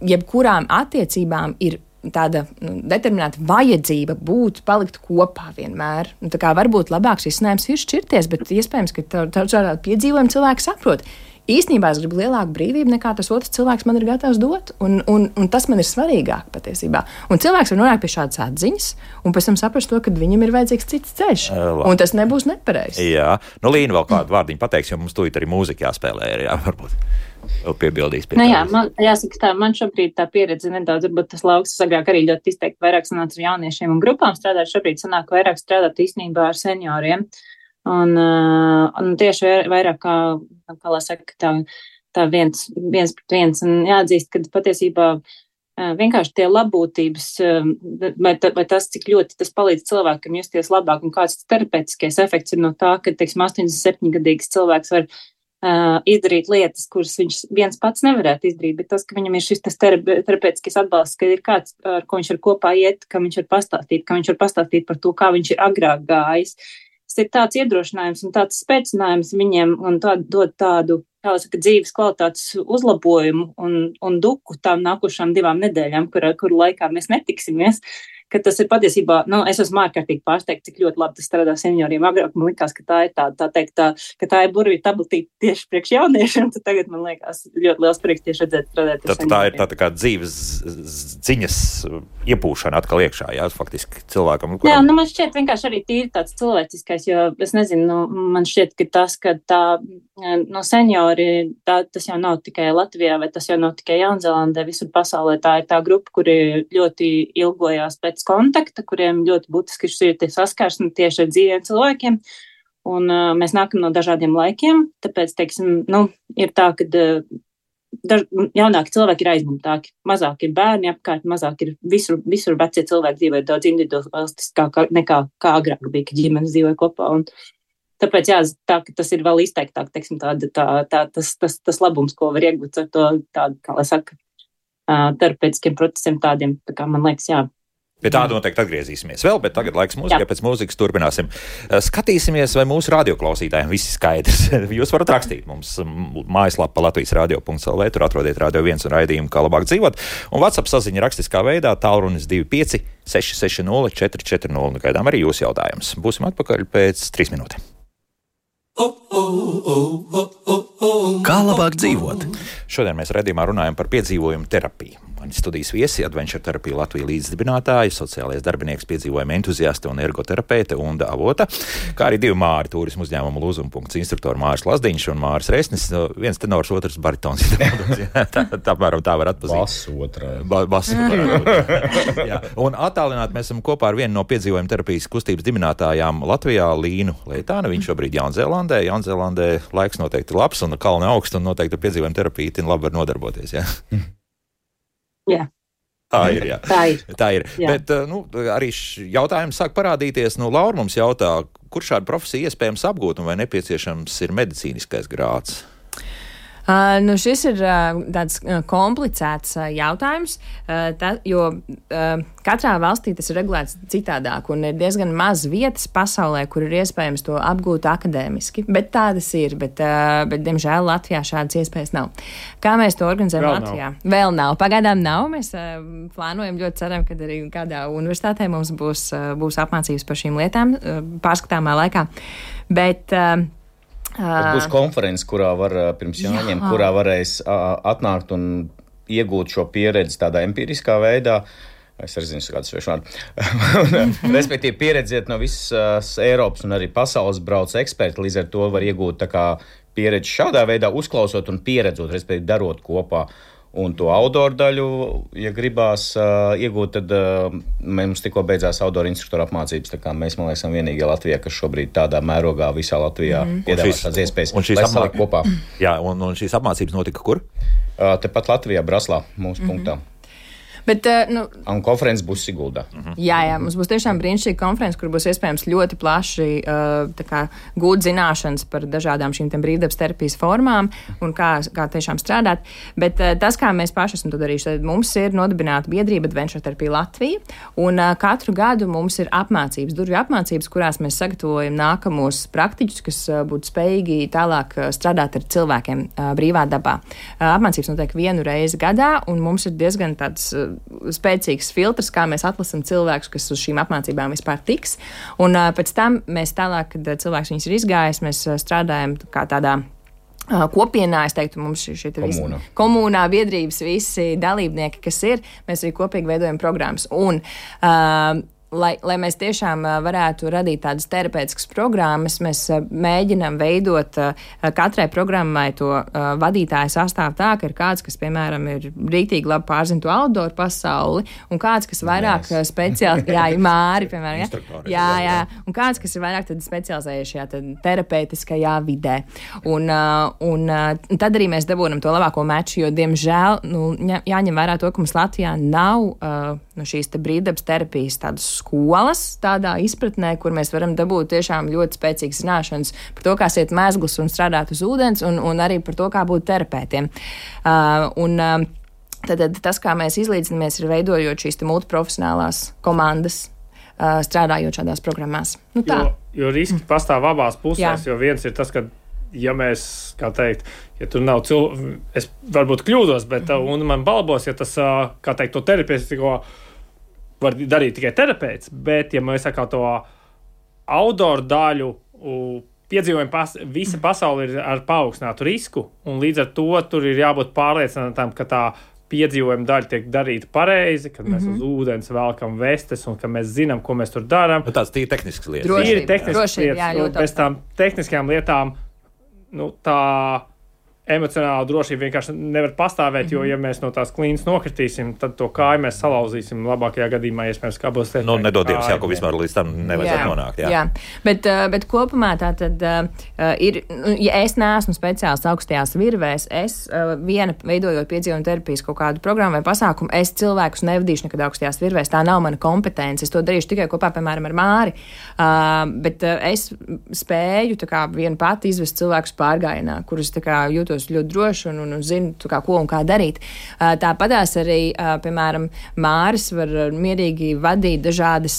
jebkurām attiecībām ir tāda determinēta vajadzība palikt kopā vienmēr. Tā kā varbūt labāks risinājums ir šķirties, bet iespējams, ka tādā piedzīvojuma cilvēks saprot. Īstenībā es gribu lielāku brīvību, nekā tas otrs cilvēks man ir gatavs dot, un tas man ir svarīgāk patiesībā. Un cilvēks var nonākt pie šādas atziņas, un pēc tam saprast to, ka viņam ir vajadzīgs cits ceļš, un tas nebūs nepareizs. Jā, Līna vēl kādu vārdiņu pateiks, jo mums tūlīt arī mūzika jāspēlē, varbūt vēl piebildīs pie tā. Jā, jāsaka tā, man šobrīd tā pieredze nedaudz, varbūt tas lauks agrāk arī ļoti izteikti vairāk sanāca ar jauniešiem un grupām strādāt, šobrīd sanāk vairāk strādāt īstenībā ar senioriem. Un tieši vairāk kā lai saka, tā viens pret viens, un jāatzīst, ka patiesībā vienkārši tie labbūtības, vai tas, cik ļoti tas palīdz cilvēkam justies labāk, un kāds terapeitiskais efekts ir no tā, ka, teiksim, 87-gadīgs cilvēks var izdarīt lietas, kuras viņš viens pats nevarētu izdarīt, bet tas, ka viņam ir šis terapeitiskais atbalsts, ka ir kāds, ar ko viņš var kopā iet, ka viņš var pastāstīt par to, kā viņš ir agrāk gājis. Tas ir tāds iedrošinājums un tāds spēcinājums viņiem un dod tādu, kā saka, dzīves kvalitātes uzlabojumu un duku tām nākošām 2 nedēļām, kuru laikā mēs netiksimies. Ka tas ir patiesībā, es esmu ārkārtīgi pārsteigta, cik ļoti labi tas strādā senioriem. Agrāk man likās, ka tā ir ka tā ir burvju tabletīte tieši priekš jauniešiem, tad tagad man liekas ļoti liels prieks tieši redzēt strādāt ar senioriem. Tā ir tā kā dzīves ziņas iepūšana atkal iekšā, jā, faktiski cilvēkam. Jā, man šķiet vienkārši arī tīri tāds cilvēciskais, jo es nezinu, man šķiet, ka tas, ka tā, seniori, tas jau nav tikai Latvijā, vai tas jau nav tikai Jaunzēlandē, visur pasaulē tā ir tā grupa, kuri ļoti ilgojās pēc kontakta, kuriem ļoti būtiski ir tie saskarsmi tieši ar dzīviem cilvēkiem, un mēs nākam no dažādiem laikiem, tāpēc, teiksim, ir tā, ka jaunāki cilvēki ir aizņemtāki, mazāk ir bērni apkārt, mazāk ir visur vecie cilvēki dzīvoja daudz individualistiskāk nekā agrāk bija, kad ģimenes dzīvoja kopā, un tāpēc tā, ka tas ir vēl izteiktāk, teiksim, tas labums, ko var iegūt ar to tādu, kā lai saka, terapeitiskiem procesiem tādiem, tā kā man liekas, jā. Pie tāda noteikti atgriezīsimies vēl, bet tagad laiks mūzikai, pēc mūzikas turpināsim. Skatīsimies, vai mūsu radioklausītājiem viss ir skaidrs. Jūs varat rakstīt mums mājaslapā latvijasradio.lv, tur atrodiet Radio 1 un raidījumu, kā labāk dzīvot. Un WhatsApp saziņa rakstiskā veidā tālrunis 25 660 440. Gaidām arī jūsu jautājums. Būsim atpakaļ pēc 3 minūtēm. Kā labāk dzīvot? Šodien mēs raidījumā runājam par piedzīvojumu terapiju. Mani studijas viesi, Adventure Therapija Latvija līdzdibinātāji, sociālais darbinieks, piedzīvojuma entuziaste un ergoterapeite Unda Avota, kā arī divi Māri turismu uzņēmumu Lūzuma instruktori Māris Lazdiņš un Māris Resnis. Viens tenors, otrs baritons. Tā var atpazīt. Bas otrā. Jā. Un attālināt mēs esam kopā ar vienu no piedzīvojuma terapijas kustības dibinātājām Latvijā, Līnu Leitānu. Viņš šobrīd Jaunzēlandē. Jaunzēlandē laiks noteikti labs un kalni augsts un noteikti piedzīvojuma terapija labi var nodarboties. Jā. Jā. Tā ir, jā. Tā ir. Jā. Bet arī jautājums sāk parādīties. Laura mums jautā, kur šādu profesiju iespējams apgūt un vai nepieciešams ir medicīniskais grāds? Šis ir tāds komplicēts jautājums, jo katrā valstī tas ir regulēts citādāk un ir diezgan maz vietas pasaulē, kur ir iespējams to apgūt akadēmiski. Bet tādas ir, bet diemžēl Latvijā šādas iespējas nav. Kā mēs to organizējam Latvijā? Vēl nav. Pagaidām nav. Mēs plānojam, ļoti ceram, ka arī kādā universitātē mums būs apmācības par šīm lietām pārskatāmā laikā. Bet būs konferences, kurā var pirms jāņem, kurā varēs atnākt un iegūt šo pieredzi tādā empiriskā veidā. Es arī zinu, kāds svešvārdu. Respektīvi, pieredziet no visas Eiropas un arī pasaules brauc eksperti, līdz ar to var iegūt tā kā pieredzi šādā veidā, uzklausot un pieredzot, respektīvi, darot kopā. Un to outdoor daļu, ja gribās iegūt, tad mums tikko beidzās outdoor instruktoru apmācības. Tā kā mēs, man liekas, esam vienīgie Latvijā, kas šobrīd tādā mērogā visā Latvijā piedāvās tādas iespējas. Lai salikt kopā. Jā, un šīs apmācības notika kur? Tepat Latvijā, Braslā, mūsu punktā. Bet, un konferences būs Siguldā. Jā, mums būs tiešām brīnišķīga konferences, kur būs iespējams ļoti plaši gūt zināšanas par dažādām šīm brīvdabas terapijas formām un kā tiešām strādāt. Bet tas, kā mēs paši esam to darījuši, tad mums ir nodibināta biedrība Adventure Therapija Latvija, un katru gadu mums ir durvju apmācības, kurās mēs sagatavojam nākamos praktiķus, kas būtu spējīgi tālāk strādāt ar cilvēkiem brīvā dabā. Apmācības notiek vienu reizi gadā, un mums ir diezgan tāds spēcīgs filtrs, kā mēs atlasam cilvēkus, kas uz šīm apmācībām vispār tiks. Un pēc tam mēs tālāk, kad cilvēks viņas ir izgājis, mēs strādājam kā tādā kopienā, es teiktu, mums šī komunā biedrības visi dalībnieki, kas ir, mēs arī kopīgi veidojam programmas. Un lai mēs tiešām varētu radīt tādas terapeitiskas programmas, mēs mēģinām veidot katrai programmai to vadītāju sastāvu tā, ka ir kāds, kas, piemēram, ir rīktīgi labi pārzina to outdoor pasauli, un kāds, kas vairāk speciāli, Māri, piemēram, jā, un kāds, kas ir vairāk specializējies šajā terapeitiskajā vidē. Un tad arī mēs dabūnam to labāko meču, jo, diemžēl, jāņem vērā to, ka mums Latvijā nav šīs brīvdabas terapijas tādas skolas tādā izpratnē, kur mēs varam dabūt tiešām ļoti spēcīgas zināšanas par to, kā siet mezglus un strādāt uz ūdens, un arī par to, kā būt terapeitiem. Tad tas, kā mēs izlīdzinamies, ir veidojot šīs multiprofesionālās komandas, strādājot šādās programmās. Jo riski pastāv abās pusēs, jo viens ir tas, ka ja mēs, kā teikt, ja tur nav cilvēku, es varbūt kļūdos, bet un man balbos, ja tas, kā teikt, to terapeitisko var darīt tikai terapeits, bet ja mēs sakām to outdoor daļu, piedzīvojumi visa pasaule ir ar paaugstinātu risku, un līdz ar to tur ir jābūt pārliecinātām, ka tā piedzīvojuma daļa tiek darīta pareizi, kad mēs uz ūdens velkam vestes un ka mēs zinām, ko mēs tur darām. Tāds tīri tehnisks lietas. Tīri tehnisks lietas, un pēc tām tehniskajām lietām tā emocionāla drošība vienkārši nevar pastāvēt, jo, ja mēs no tās klīnas nokritīsim, tad to kāju mēs salauzīsim labākajā gadījumā, iespējams, kā būs teikt. Nedodies, ko vispār līdz tam nevajadzētu nonākt. Jā. Bet kopumā tā tad ir, ja es neesmu speciālists augstajās virvēs, es viena veidojot piedzīvojumu terapijas kaut kādu programmu vai pasākumu, es cilvēkus nevadīšu nekad augstajās virvēs, tā nav mana kompetence, es to darīšu tikai kopā, piemēram, ar Māri, bet es spēju tā kā viena pati izvest cilvēkus pārgājienā, kurus tā kā jūtos ļoti droši un zinu, ko un kā darīt. Tāpatās arī, piemēram, Māris var mierīgi vadīt dažādas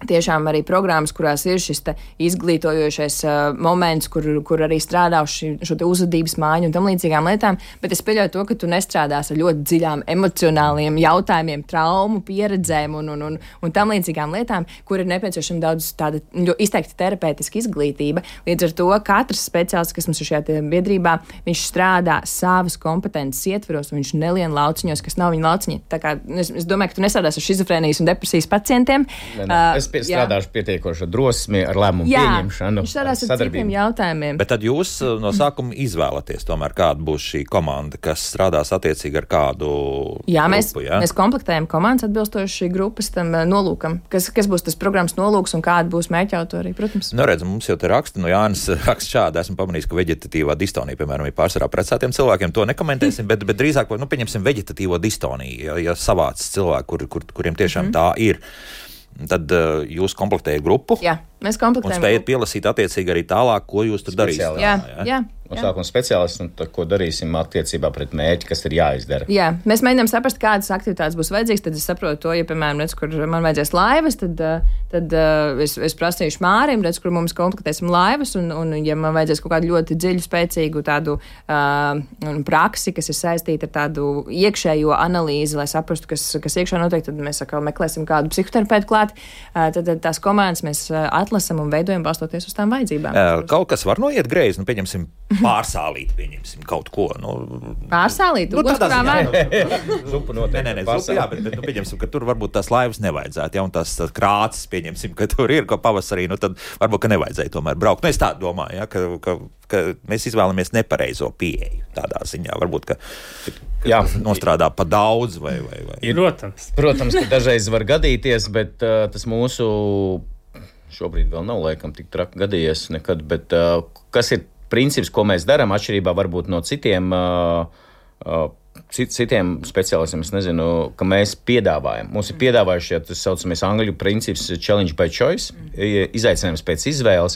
tiešām arī programmas, kurās ir šis izglītojošais moments, kur arī strādā šo te uzvedības māju un tam līdzīgām lietām, bet es pieļauju to, ka tu nestrādās ar ļoti dziļām emocionāliem jautājumiem, traumu pieredzēm un tam līdzīgām lietām, kur ir nepieciešama daudz tāda izteikti terapeitiska izglītība. Līdz ar to katrs speciālists, kas mums ir šajā biedrībā, viņš strādā savas kompetences ietveros, un viņš nelien lauciņos, kas nav viņa lauciņi. Tā kā es domāju, ka tu nestrādās ar šizofrēnijas un depresijas pacientiem. Strādāšu pietiekoši drosmi ar lēmumu pieņemšanu. Viņš strādās ar citiem jautājumiem. Bet tad jūs no sākuma izvēlaties tomēr, kāda būs šī komanda, kas strādās attiecīgi ar kādu grupu, mēs komplektējam komandas atbilstoši grupas tam nolūkam. Kas būs tas programmas nolūks un kāda būs mērķautori, protams. Nu, redz, mums jau te raksta, Jānis raksta šādi, esmu pamanījis, ka veģetatīvā distonija, piemēram, ir pārsvarā precētiem cilvēkiem, to nekomentēsim, bet drīzāk, pieņemsim veģetatīvo distoniju, ja savāds cilvēki, kuriem tiešām tā ir. Tad jūs komplektējat grupu. Jā, mēs komplektējam. Un spējat pielasīt attiecīgi arī tālāk, ko jūs tur darīsiet. Jā. No sākuma speciālists, un tad, ko darīsim attiecībā pret mērķi, kas ir jāizdara. Jā, mēs mēģinām saprast, kādas aktivitātes būs vajadzīgas. Tad es saprotu to, ja, piemēram, redz, kur man vajadzēs laivas, tad es prasīšu Mārim, redz, kur mums komplektēsim laivas, un ja man vajadzēs kaut kādu ļoti dziļu, spēcīgu tādu praksi, kas ir saistīta ar tādu iekšējo analīzi, lai saprastu, kas iekšā notiek, tad mēs atkal meklēsim kādu psihoterapeitu klāt. Tad tās komandas mēs atlasam un veidojam balstoties uz tām vajadzībām. Kaut kas var noiet greizi, pieņemsim pārsālīt, pieņemsim kaut ko. Pārsālīt? Tādā ziņā. Zupa noteikti. Nē, zupa, jā, bet pieņemsim, ka tur varbūt tās laivas nevajadzētu, ja, un tās krācis, pieņemsim, ka tur ir, ko pavasarī, tad varbūt, ka nevajadzēja tomēr braukt. Es tā domāju, ja, ka mēs izvēlamies nepareizo pieeju tādā ziņā. Varbūt, ka nostrādā pa daudz vai. Protams, ka dažreiz var gadīties, bet tas mūsu šobrīd vēl nav laikam tik traki gadījies nekad, bet kas ir princips, ko mēs darām, atšķirībā varbūt no citiem speciālistiem, es nezinu, ka mēs piedāvājam. Mums ir piedāvājuši, tas saucamies angļu princips challenge by choice, izaicinājums pēc izvēles.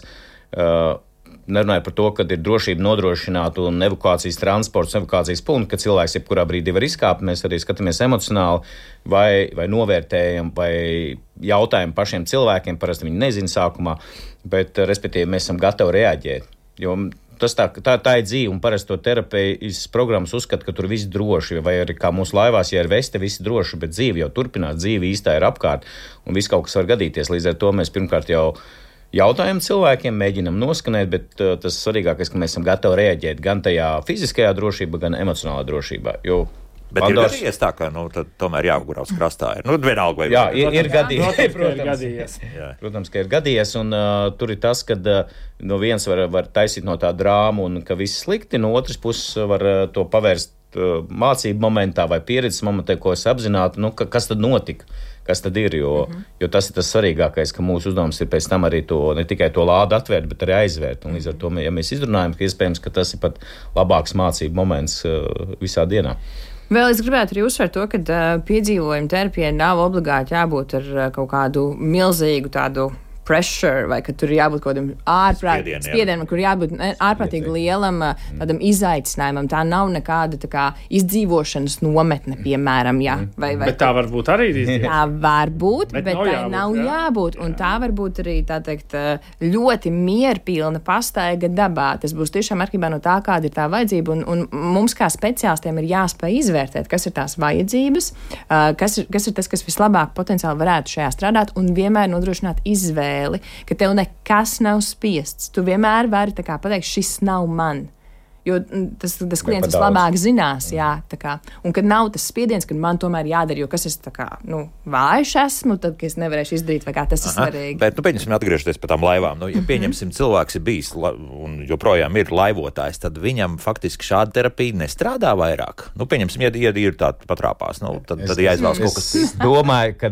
Nerunāju par to, ka ir drošība nodrošināta un evakuācijas transports, evakuācijas punkti, ka cilvēks jebkurā brīdī var izkāpt. Mēs arī skatāmies emocionāli vai novērtējam vai jautājam pašiem cilvēkiem, parasti viņi nezina sākumā, bet respektīvi mēs esam gatavi reaģēt. Jo tā ir dzīve, un parasti to terapijas programmas uzskata, ka tur viss droši, vai arī kā mūsu laivās, ja ir veste, viss droši, bet dzīve jau turpinās, dzīve īstā ir apkārt, un viss kaut kas var gadīties. Līdz ar to mēs pirmkārt jau jautājam cilvēkiem, mēģinam noskanēt, bet tas svarīgākais, ka mēs esam gatavi reaģēt gan tajā fiziskajā drošībā, gan emocionālā drošībā. Bet Pandors... ir gadījies tā, ka tomēr jāgurās krastā. Vienalga vai... Jā, ir gadījies. Protams, ka ir gadījies, un tur ir tas, ka no viens var taisīt no tā drāmu, un ka viss slikti, no otras puses var to pavērst mācību momentā vai pieredzes momentā, ko es apzinātu, kas tad notika, kas tad ir, jo tas ir tas svarīgākais, ka mūsu uzdevums ir pēc tam arī to, ne tikai to lādu atvērt, bet arī aizvērt, un līdz ar to, ja mēs izrunājam, ka iespējams, ka tas ir pat labāks mācību moments visā dienā. Vēl es gribētu arī uzsvērt to, ka piedzīvojuma terapijai nav obligāti jābūt ar kaut kādu milzīgu tādu pressure, vai ka tur ir jābūt kaut kādam spiedienam, kur jābūt ārprātīgi lielam tādam izaicinājumam. Tā nav nekāda tā kā izdzīvošanas nometne, piemēram, jā. Bet tā var būt arī. Tā var būt, bet tā nav jābūt. Un tā var būt arī, tā teikt, ļoti mierpilna pastaiga dabā. Tas būs tiešām atkarībā no tā, kāda ir tā vajadzība. Un mums kā speciālistiem ir jāspēj izvērtēt, kas ir tās vajadzības, kas ir tas, kas vislabāk potenciāli varētu šajā strādāt, un vienmēr nodrošināt izvēli. Ka tev nekas nav spiests. Tu vienmēr vari pateikt, šis nav man. Jo tas klients vislabāk zinās, jā, tā kā. Un kad nav tas spiediens, kad man tomēr jādara, jo kas es tā kā, vājš esmu, tad, ka es nevarēšu izdarīt, vai kā tas ir svarīgi. Bet, pieņemsim, atgriežoties pie tām laivām. Ja pieņemsim, cilvēks ir bijis un joprojām ir laivotājs, tad viņam faktiski šāda terapija nestrādā vairāk. Pieņemsim, ja ir tā patrāpās, tad jāizvēlas kaut kas. Es domāju, ka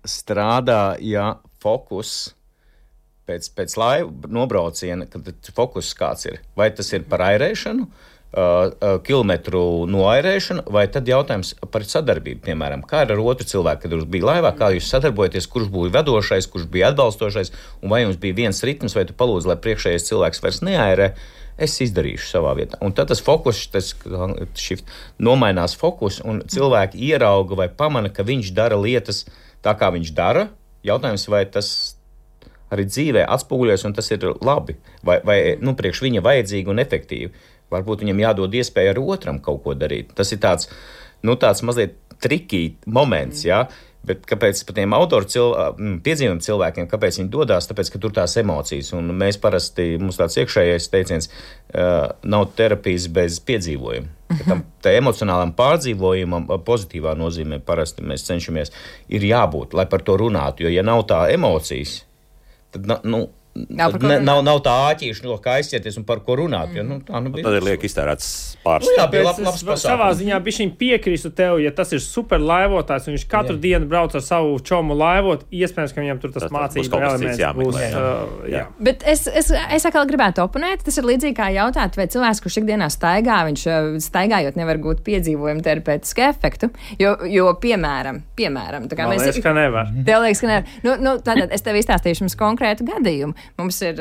strādā, ja fokus pēc laivu nobrauciena, kad fokus kāds ir. Vai tas ir par airēšanu, kilometru noairēšanu, vai tad jautājums par sadarbību, piemēram, kā ar otru cilvēku, kad jūs bija laivā, kā jūs sadarbojaties, kurš bija vadošais, kurš bija atbalstošais, un vai jums bija viens ritms, vai tu palūdzi, lai priekšējais cilvēks vairs neairē, es izdarīšu savā vietā. Un tad tas fokus, nomainās fokus, un cilvēki ierauga vai pamana, ka viņš dara lietas tā, kā viņš dara, Jautājums, vai tas arī dzīvē atspoguļojas, un tas ir labi, vai priekš viņa vajadzīgi un efektīvi. Varbūt viņam jādod iespēja ar otram kaut ko darīt. Tas ir tāds mazliet trikī moments, jā. Bet kāpēc par tiem autoru piedzīvojumu cilvēkiem, kāpēc viņi dodās? Tāpēc, ka tur tās emocijas, un mēs parasti, mums tāds iekšējais teiciens, nav terapijas bez piedzīvojuma. Tā emocionālam pārdzīvojumam, pozitīvā nozīmē parasti mēs cenšamies, ir jābūt, lai par to runātu, jo ja nav tā emocijas, tad, nav tā āķīša, no kā aizķerties un par ko runāt. Jo, tad ir liek iztērēts pāris. Jā, labs savā ziņā bišķiņ piekrīstu tev, ja tas ir super laivotājs, un viņš katru dienu brauc ar savu čomu laivot, iespējams, ka viņam tur tas mācību elements būs. Bet es atkal gribētu oponēt, tas ir līdzīgi kā jautāt, vai cilvēks, kurš ikdienā staigā, viņš staigājot nevar gūt piedzīvojumu terapeitisku efektu, jo piemēram, tā kā man liekas, ka nevar. Tev liekas, ka nevar. Tātad es tev izstāstīšu jums konkrētu gadījumu. Mums ir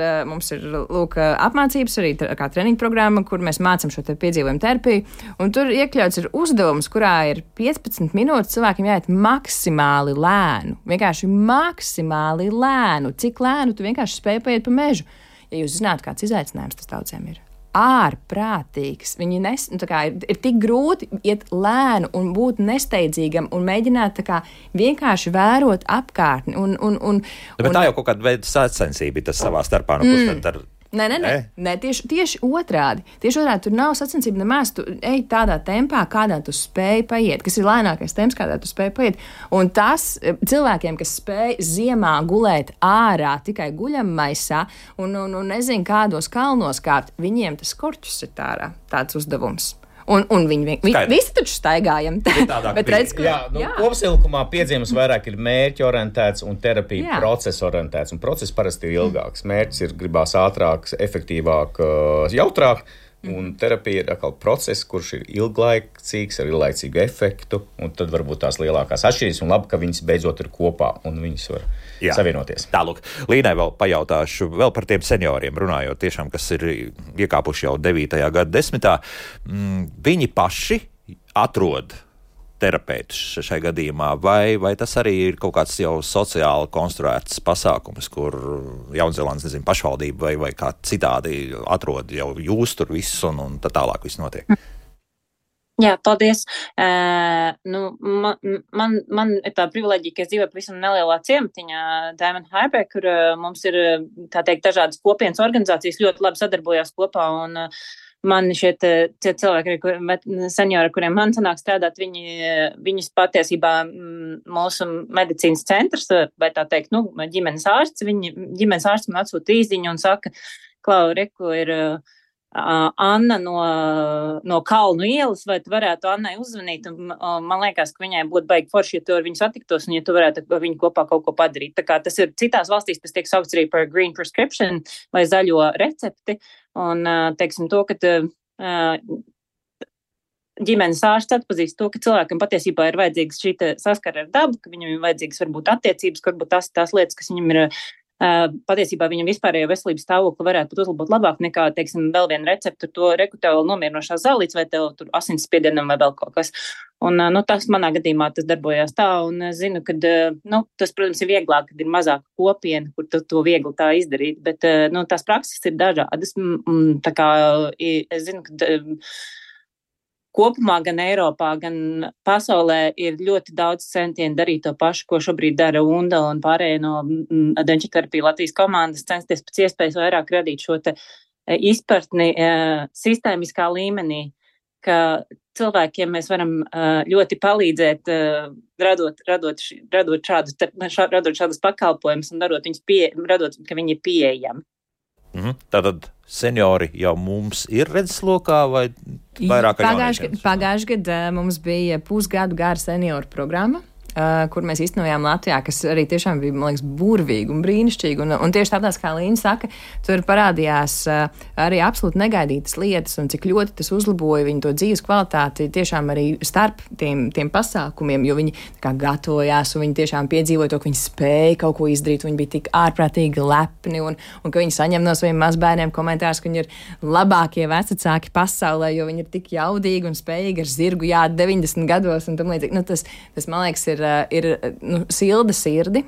lūk, apmācības arī kā treniņu programma, kur mēs mācam šo te piedzīvojumu terapiju, un tur iekļauts ir uzdevums, kurā ir 15 minūtes cilvēkiem jāiet maksimāli lēnu. Vienkārši maksimāli lēnu. Cik lēnu tu vienkārši spēj paiet pa mežu? Ja jūs zināt, kāds izaicinājums tas daudziem ir. Ārprātīgs. Viņi ir tik grūti iet lēnu un būt nesteidzīgam un mēģināt vienkārši vērot apkārtni. Bet tā jau kaut kāda veida sacensība ir tas savā starpā. Kurš tad ar... Nē, tieši otrādi. Tieši otrādi, tur nav sacensība nemaz. Tu ej tādā tempā, kādā tu spēj paiet, kas ir lēnākais temps, kādā tu spēj paiet. Un tas cilvēkiem, kas spēj ziemā gulēt ārā tikai guļammaisā un nezinu kādos kalnos kārt, viņiem tas korķus ir tāds uzdevums. Un viņi visi taču staigājam. Bet redz, ka... Kopsavilkumā piedzīvums vairāk ir mērķi orientēts un terapija procesa orientēts. Un process parasti ir ilgāks. Mērķis ir gribās ātrāk, efektīvāk, jautrāk. Un terapija ir atkal process, kurš ir ilglaicīgs, ar ilglaicīgu efektu. Un tad varbūt tās lielākās atšķirības un labi, ka viņas beidzot ir kopā un viņas var savienoties. Tālūk, Līnai vēl pajautāšu vēl par tiem senioriem runājot, tiešām, kas ir iekāpuši jau 9. gadsimtā. Viņi paši atrod terapeitus šai gadījumā, vai tas arī ir kaut kāds jau sociāli konstruēts pasākums, kur Jaunzēlandes, pašvaldība vai kā citādi atrod jau jūs tur visus un tā tālāk viss notiek? Jā, paldies. Man ir tā privileģija, ka es dzīvoju pavisam nelielā ciematiņā Diamond Harbour, kur mums ir, tā teikt, dažādas kopienas organizācijas ļoti labi sadarbojās kopā, un man šie cilvēki, seniori, kuriem man sanāk strādāt, viņus patiesībā mūsu medicīnas centrs, vai tā teikt, ģimenes ārsts, ģimenes ārsts man atsūta īziņu un saka, Klau, reku ir Anna no Kalnu ielas, vai tu varētu Annai uzzvanīt, un man liekas, ka viņai būtu baigi forši, ja tu ar viņu satiktos, un ja tu varētu ar viņu kopā kaut ko padarīt. Tā kā tas ir citās valstīs, tas tiek saukts arī par green prescription vai zaļo recepti, un teiksim to, ka ģimenes ārsts atpazīst to, ka cilvēkam patiesībā ir vajadzīgs šī saskara ar dabu, ka viņam ir vajadzīgs varbūt attiecības, ka varbūt tās lietas, kas viņam ir patiesībā viņam vispārējo veselības stāvokli varētu būt uzlabot labāk nekā, teiksim, vēl viena recepta, to reku tev nomierinošās zālītes vai tev tur asinsspiedienam vai vēl kaut kas. Un, tas manā gadījumā tas darbojās tā, un zinu, ka, tas, protams, ir vieglāk, kad ir mazāka kopiena, kur to viegli tā izdarīt, bet, tās prakses ir dažādas. Tā kā es zinu, ka kopumā gan Eiropā, gan pasaulē ir ļoti daudz centienu darīt to pašu, ko šobrīd dara UNDA un pārējie no Adventure terapija Latvijas komandas, censties pēc iespējas vairāk radīt šo te izpratni sistēmiskā līmenī, ka cilvēkiem mēs varam ļoti palīdzēt, radot šādus pakalpojumus un radot, ka viņi ir pieejami. Tātad seniori jau mums ir redzeslokā vai vairāk ar jauniešiem? Pagājuši gadu mums bija pusgadu gara senioru programma, kur mēs īstenojām Latvijā, kas arī tiešām bija, man liekas, burvīgi un brīnišķīgi. Un tieši tāpēc, kā Līna saka, tur parādījās arī absolūti negaidītas lietas un cik ļoti tas uzlaboja viņu to dzīves kvalitāti tiešām arī starp tiem pasākumiem, jo viņi kā gatavojās un viņi tiešām piedzīvoja to, ka viņi spēja kaut ko izdarīt, viņi bija tik ārprātīgi lepni un ka viņi saņem no saviem mazbērniem komentārus, ka viņi ir labākie vecāki pasaulē, jo viņi ir tik jaudīgi un spējīgi ar zirgu jāt 90 gados un tam līdzīgi. Tas, man liekas, ir silda sirdi.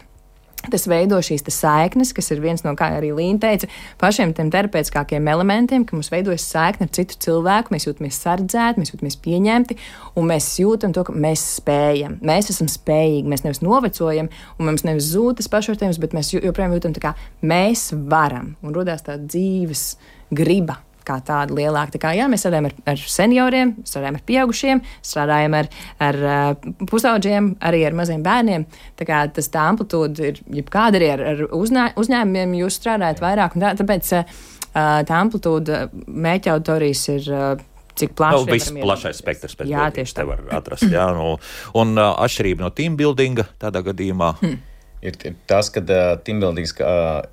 Tas veido šīs saiknes, kas ir viens no, kā arī Līna teica, pašiem tiem terapeitiskākiem elementiem, ka mums veidojas saikne ar citu cilvēku, mēs jūtamies sardzēti, mēs jūtamies pieņemti, un mēs jūtam to, ka mēs spējam, mēs esam spējīgi, mēs nevis novecojam, un mums nevis zūd tas pašvērtējums, bet mēs joprojām jūtam tā kā mēs varam, un rodās tā dzīves griba kā tāda lielāka. Tā kā, jā, mēs strādājam ar senioriem, strādājam ar pieaugušiem, strādājam ar pusauģiem, arī ar maziem bērniem. Tā kā tā amplitūda ir, jebkāda arī ar uzņēmumiem jūs strādājat vairāk, un tāpēc tā amplitūda mērķa auditorijas ir cik plaši. Viss plašais spektrs pēc būtības te var atrast. Jā, un atšķirība no team buildinga tādā gadījumā. Ir tas, ka teambuildings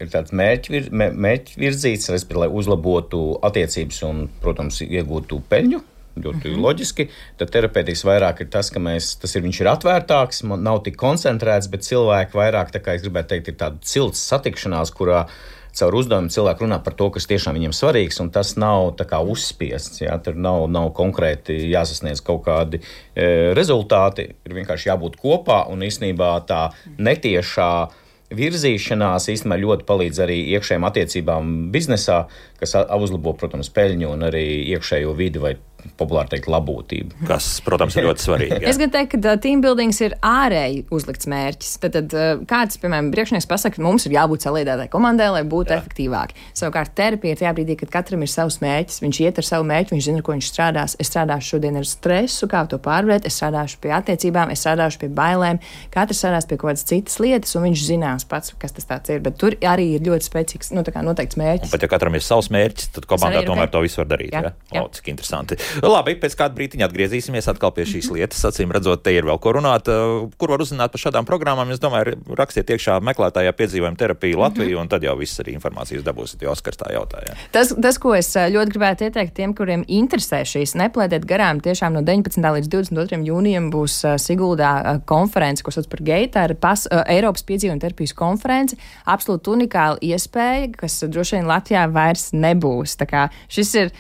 ir tāds mērķvirzīts, lai uzlabotu attiecības un, protams, iegūtu peļņu, ļoti loģiski. Tad terapeitikas vairāk ir tas, ka viņš ir atvērtāks, nav tik koncentrēts, bet cilvēki vairāk, tā kā es gribētu teikt, ir tāda cilts satikšanās, kurā caur uzdevumu cilvēku runā par to, kas tiešām viņiem svarīgs, un tas nav tā kā uzspiests. Jā, tur nav konkrēti jāsasniedz kaut kādi rezultāti, ir vienkārši jābūt kopā, un īstenībā tā netiešā virzīšanās īstenībā ļoti palīdz arī iekšējām attiecībām biznesā, kas uzlabo, protams, peļņu un arī iekšējo vidi vai populāri teikt labūtību. Kas, protams, ir ļoti svarīgi. Jā. Es gan teiktu, ka teambuildings ir ārēji uzlikts mērķis. Tad kāds, piemēram, priekšnieks pasaka, ka mums ir jābūt saliedētai komandai, lai būtu efektīvāki. Savukārt terapija ir tajā brīdī, kad katram ir savs mērķis, viņš iet ar savu mērķi, viņš zina, ko viņš strādās. Es strādāšu šodien ar stresu, kā to pārvarēt, es strādāšu pie attiecībām, es strādāšu pie bailēm, katrs strādās pie kaut kādas citas lietas, un viņš zinās pats, kas tas tāds ir. Bet tur arī ir ļoti spēcīgs, noteikts mērķis. Un pat ja katram ir savs mērķis, tad komandā tomēr to visu var darīt. Jā. Cik interesanti. Labi, pēc kāda brītiņa atgriezīsimies atkal pie šīs lietas. Acīm redzot, te ir vēl ko runāt. Kur var uzzināt par šādām programmām? Es domāju, rakstiet iekšā meklētājā piedzīvojuma terapiju Latviju, un tad jau viss arī informācijas dabūsiet, jo Oskars tā jautāja. Tas, ko es ļoti gribētu ieteikt tiem, kuriem interesē šīs, neplēdiet garām. Tiešām no 19. līdz 22. jūnijam būs Siguldā konference, ko sauc par GEITA, Eiropas piedzīvojuma terapijas konference. Absolūti unikāla iespēja, kas droši vien Latvijā vairs nebūs. Tā kā šis ir,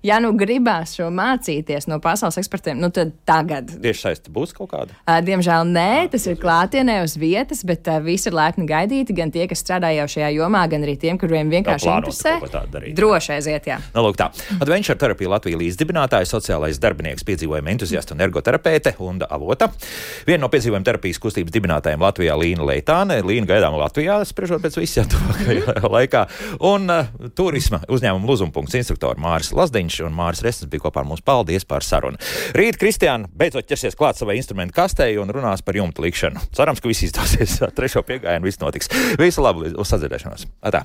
ja nu gribās šo mācīties no pasaules ekspertiem, tad tagad. Tieši saiste būs kaut kāda? Diemžēl nē, tas ir klātienē uz vietas, bet visi ir laipni gaidīti, gan tie, kas strādā jau šajā jomā, gan arī tiem, kuriem vienkārši interesē. Droši aiziet, jā. Lūk tā. Adventure terapija Latvija līdzdibinātāja, sociālais darbinieks, piedzīvojuma entuziasta un ergoterapeite Unda Avota. Viena no piedzīvojuma terapijas kustības dibinātājiem Latvijā Līna Leitāne. Līna gaidām Latvijā, spriežot pēc visiem tuvākajā laikā. Un turisma uzņēmuma Luzumpunkts instruktori Māris Lazdiņš un Māris Resnes bija kopā ar mums. Paldies par sarunu. Rīt Kristiāna beidzot ķersies klāt savai instrumentu kastei un runās par jumta likšanu. Cerams, ka viss izdosies. Trešo piegājienu viss notiks. Visu labu, uz sadzirdēšanos. Atā.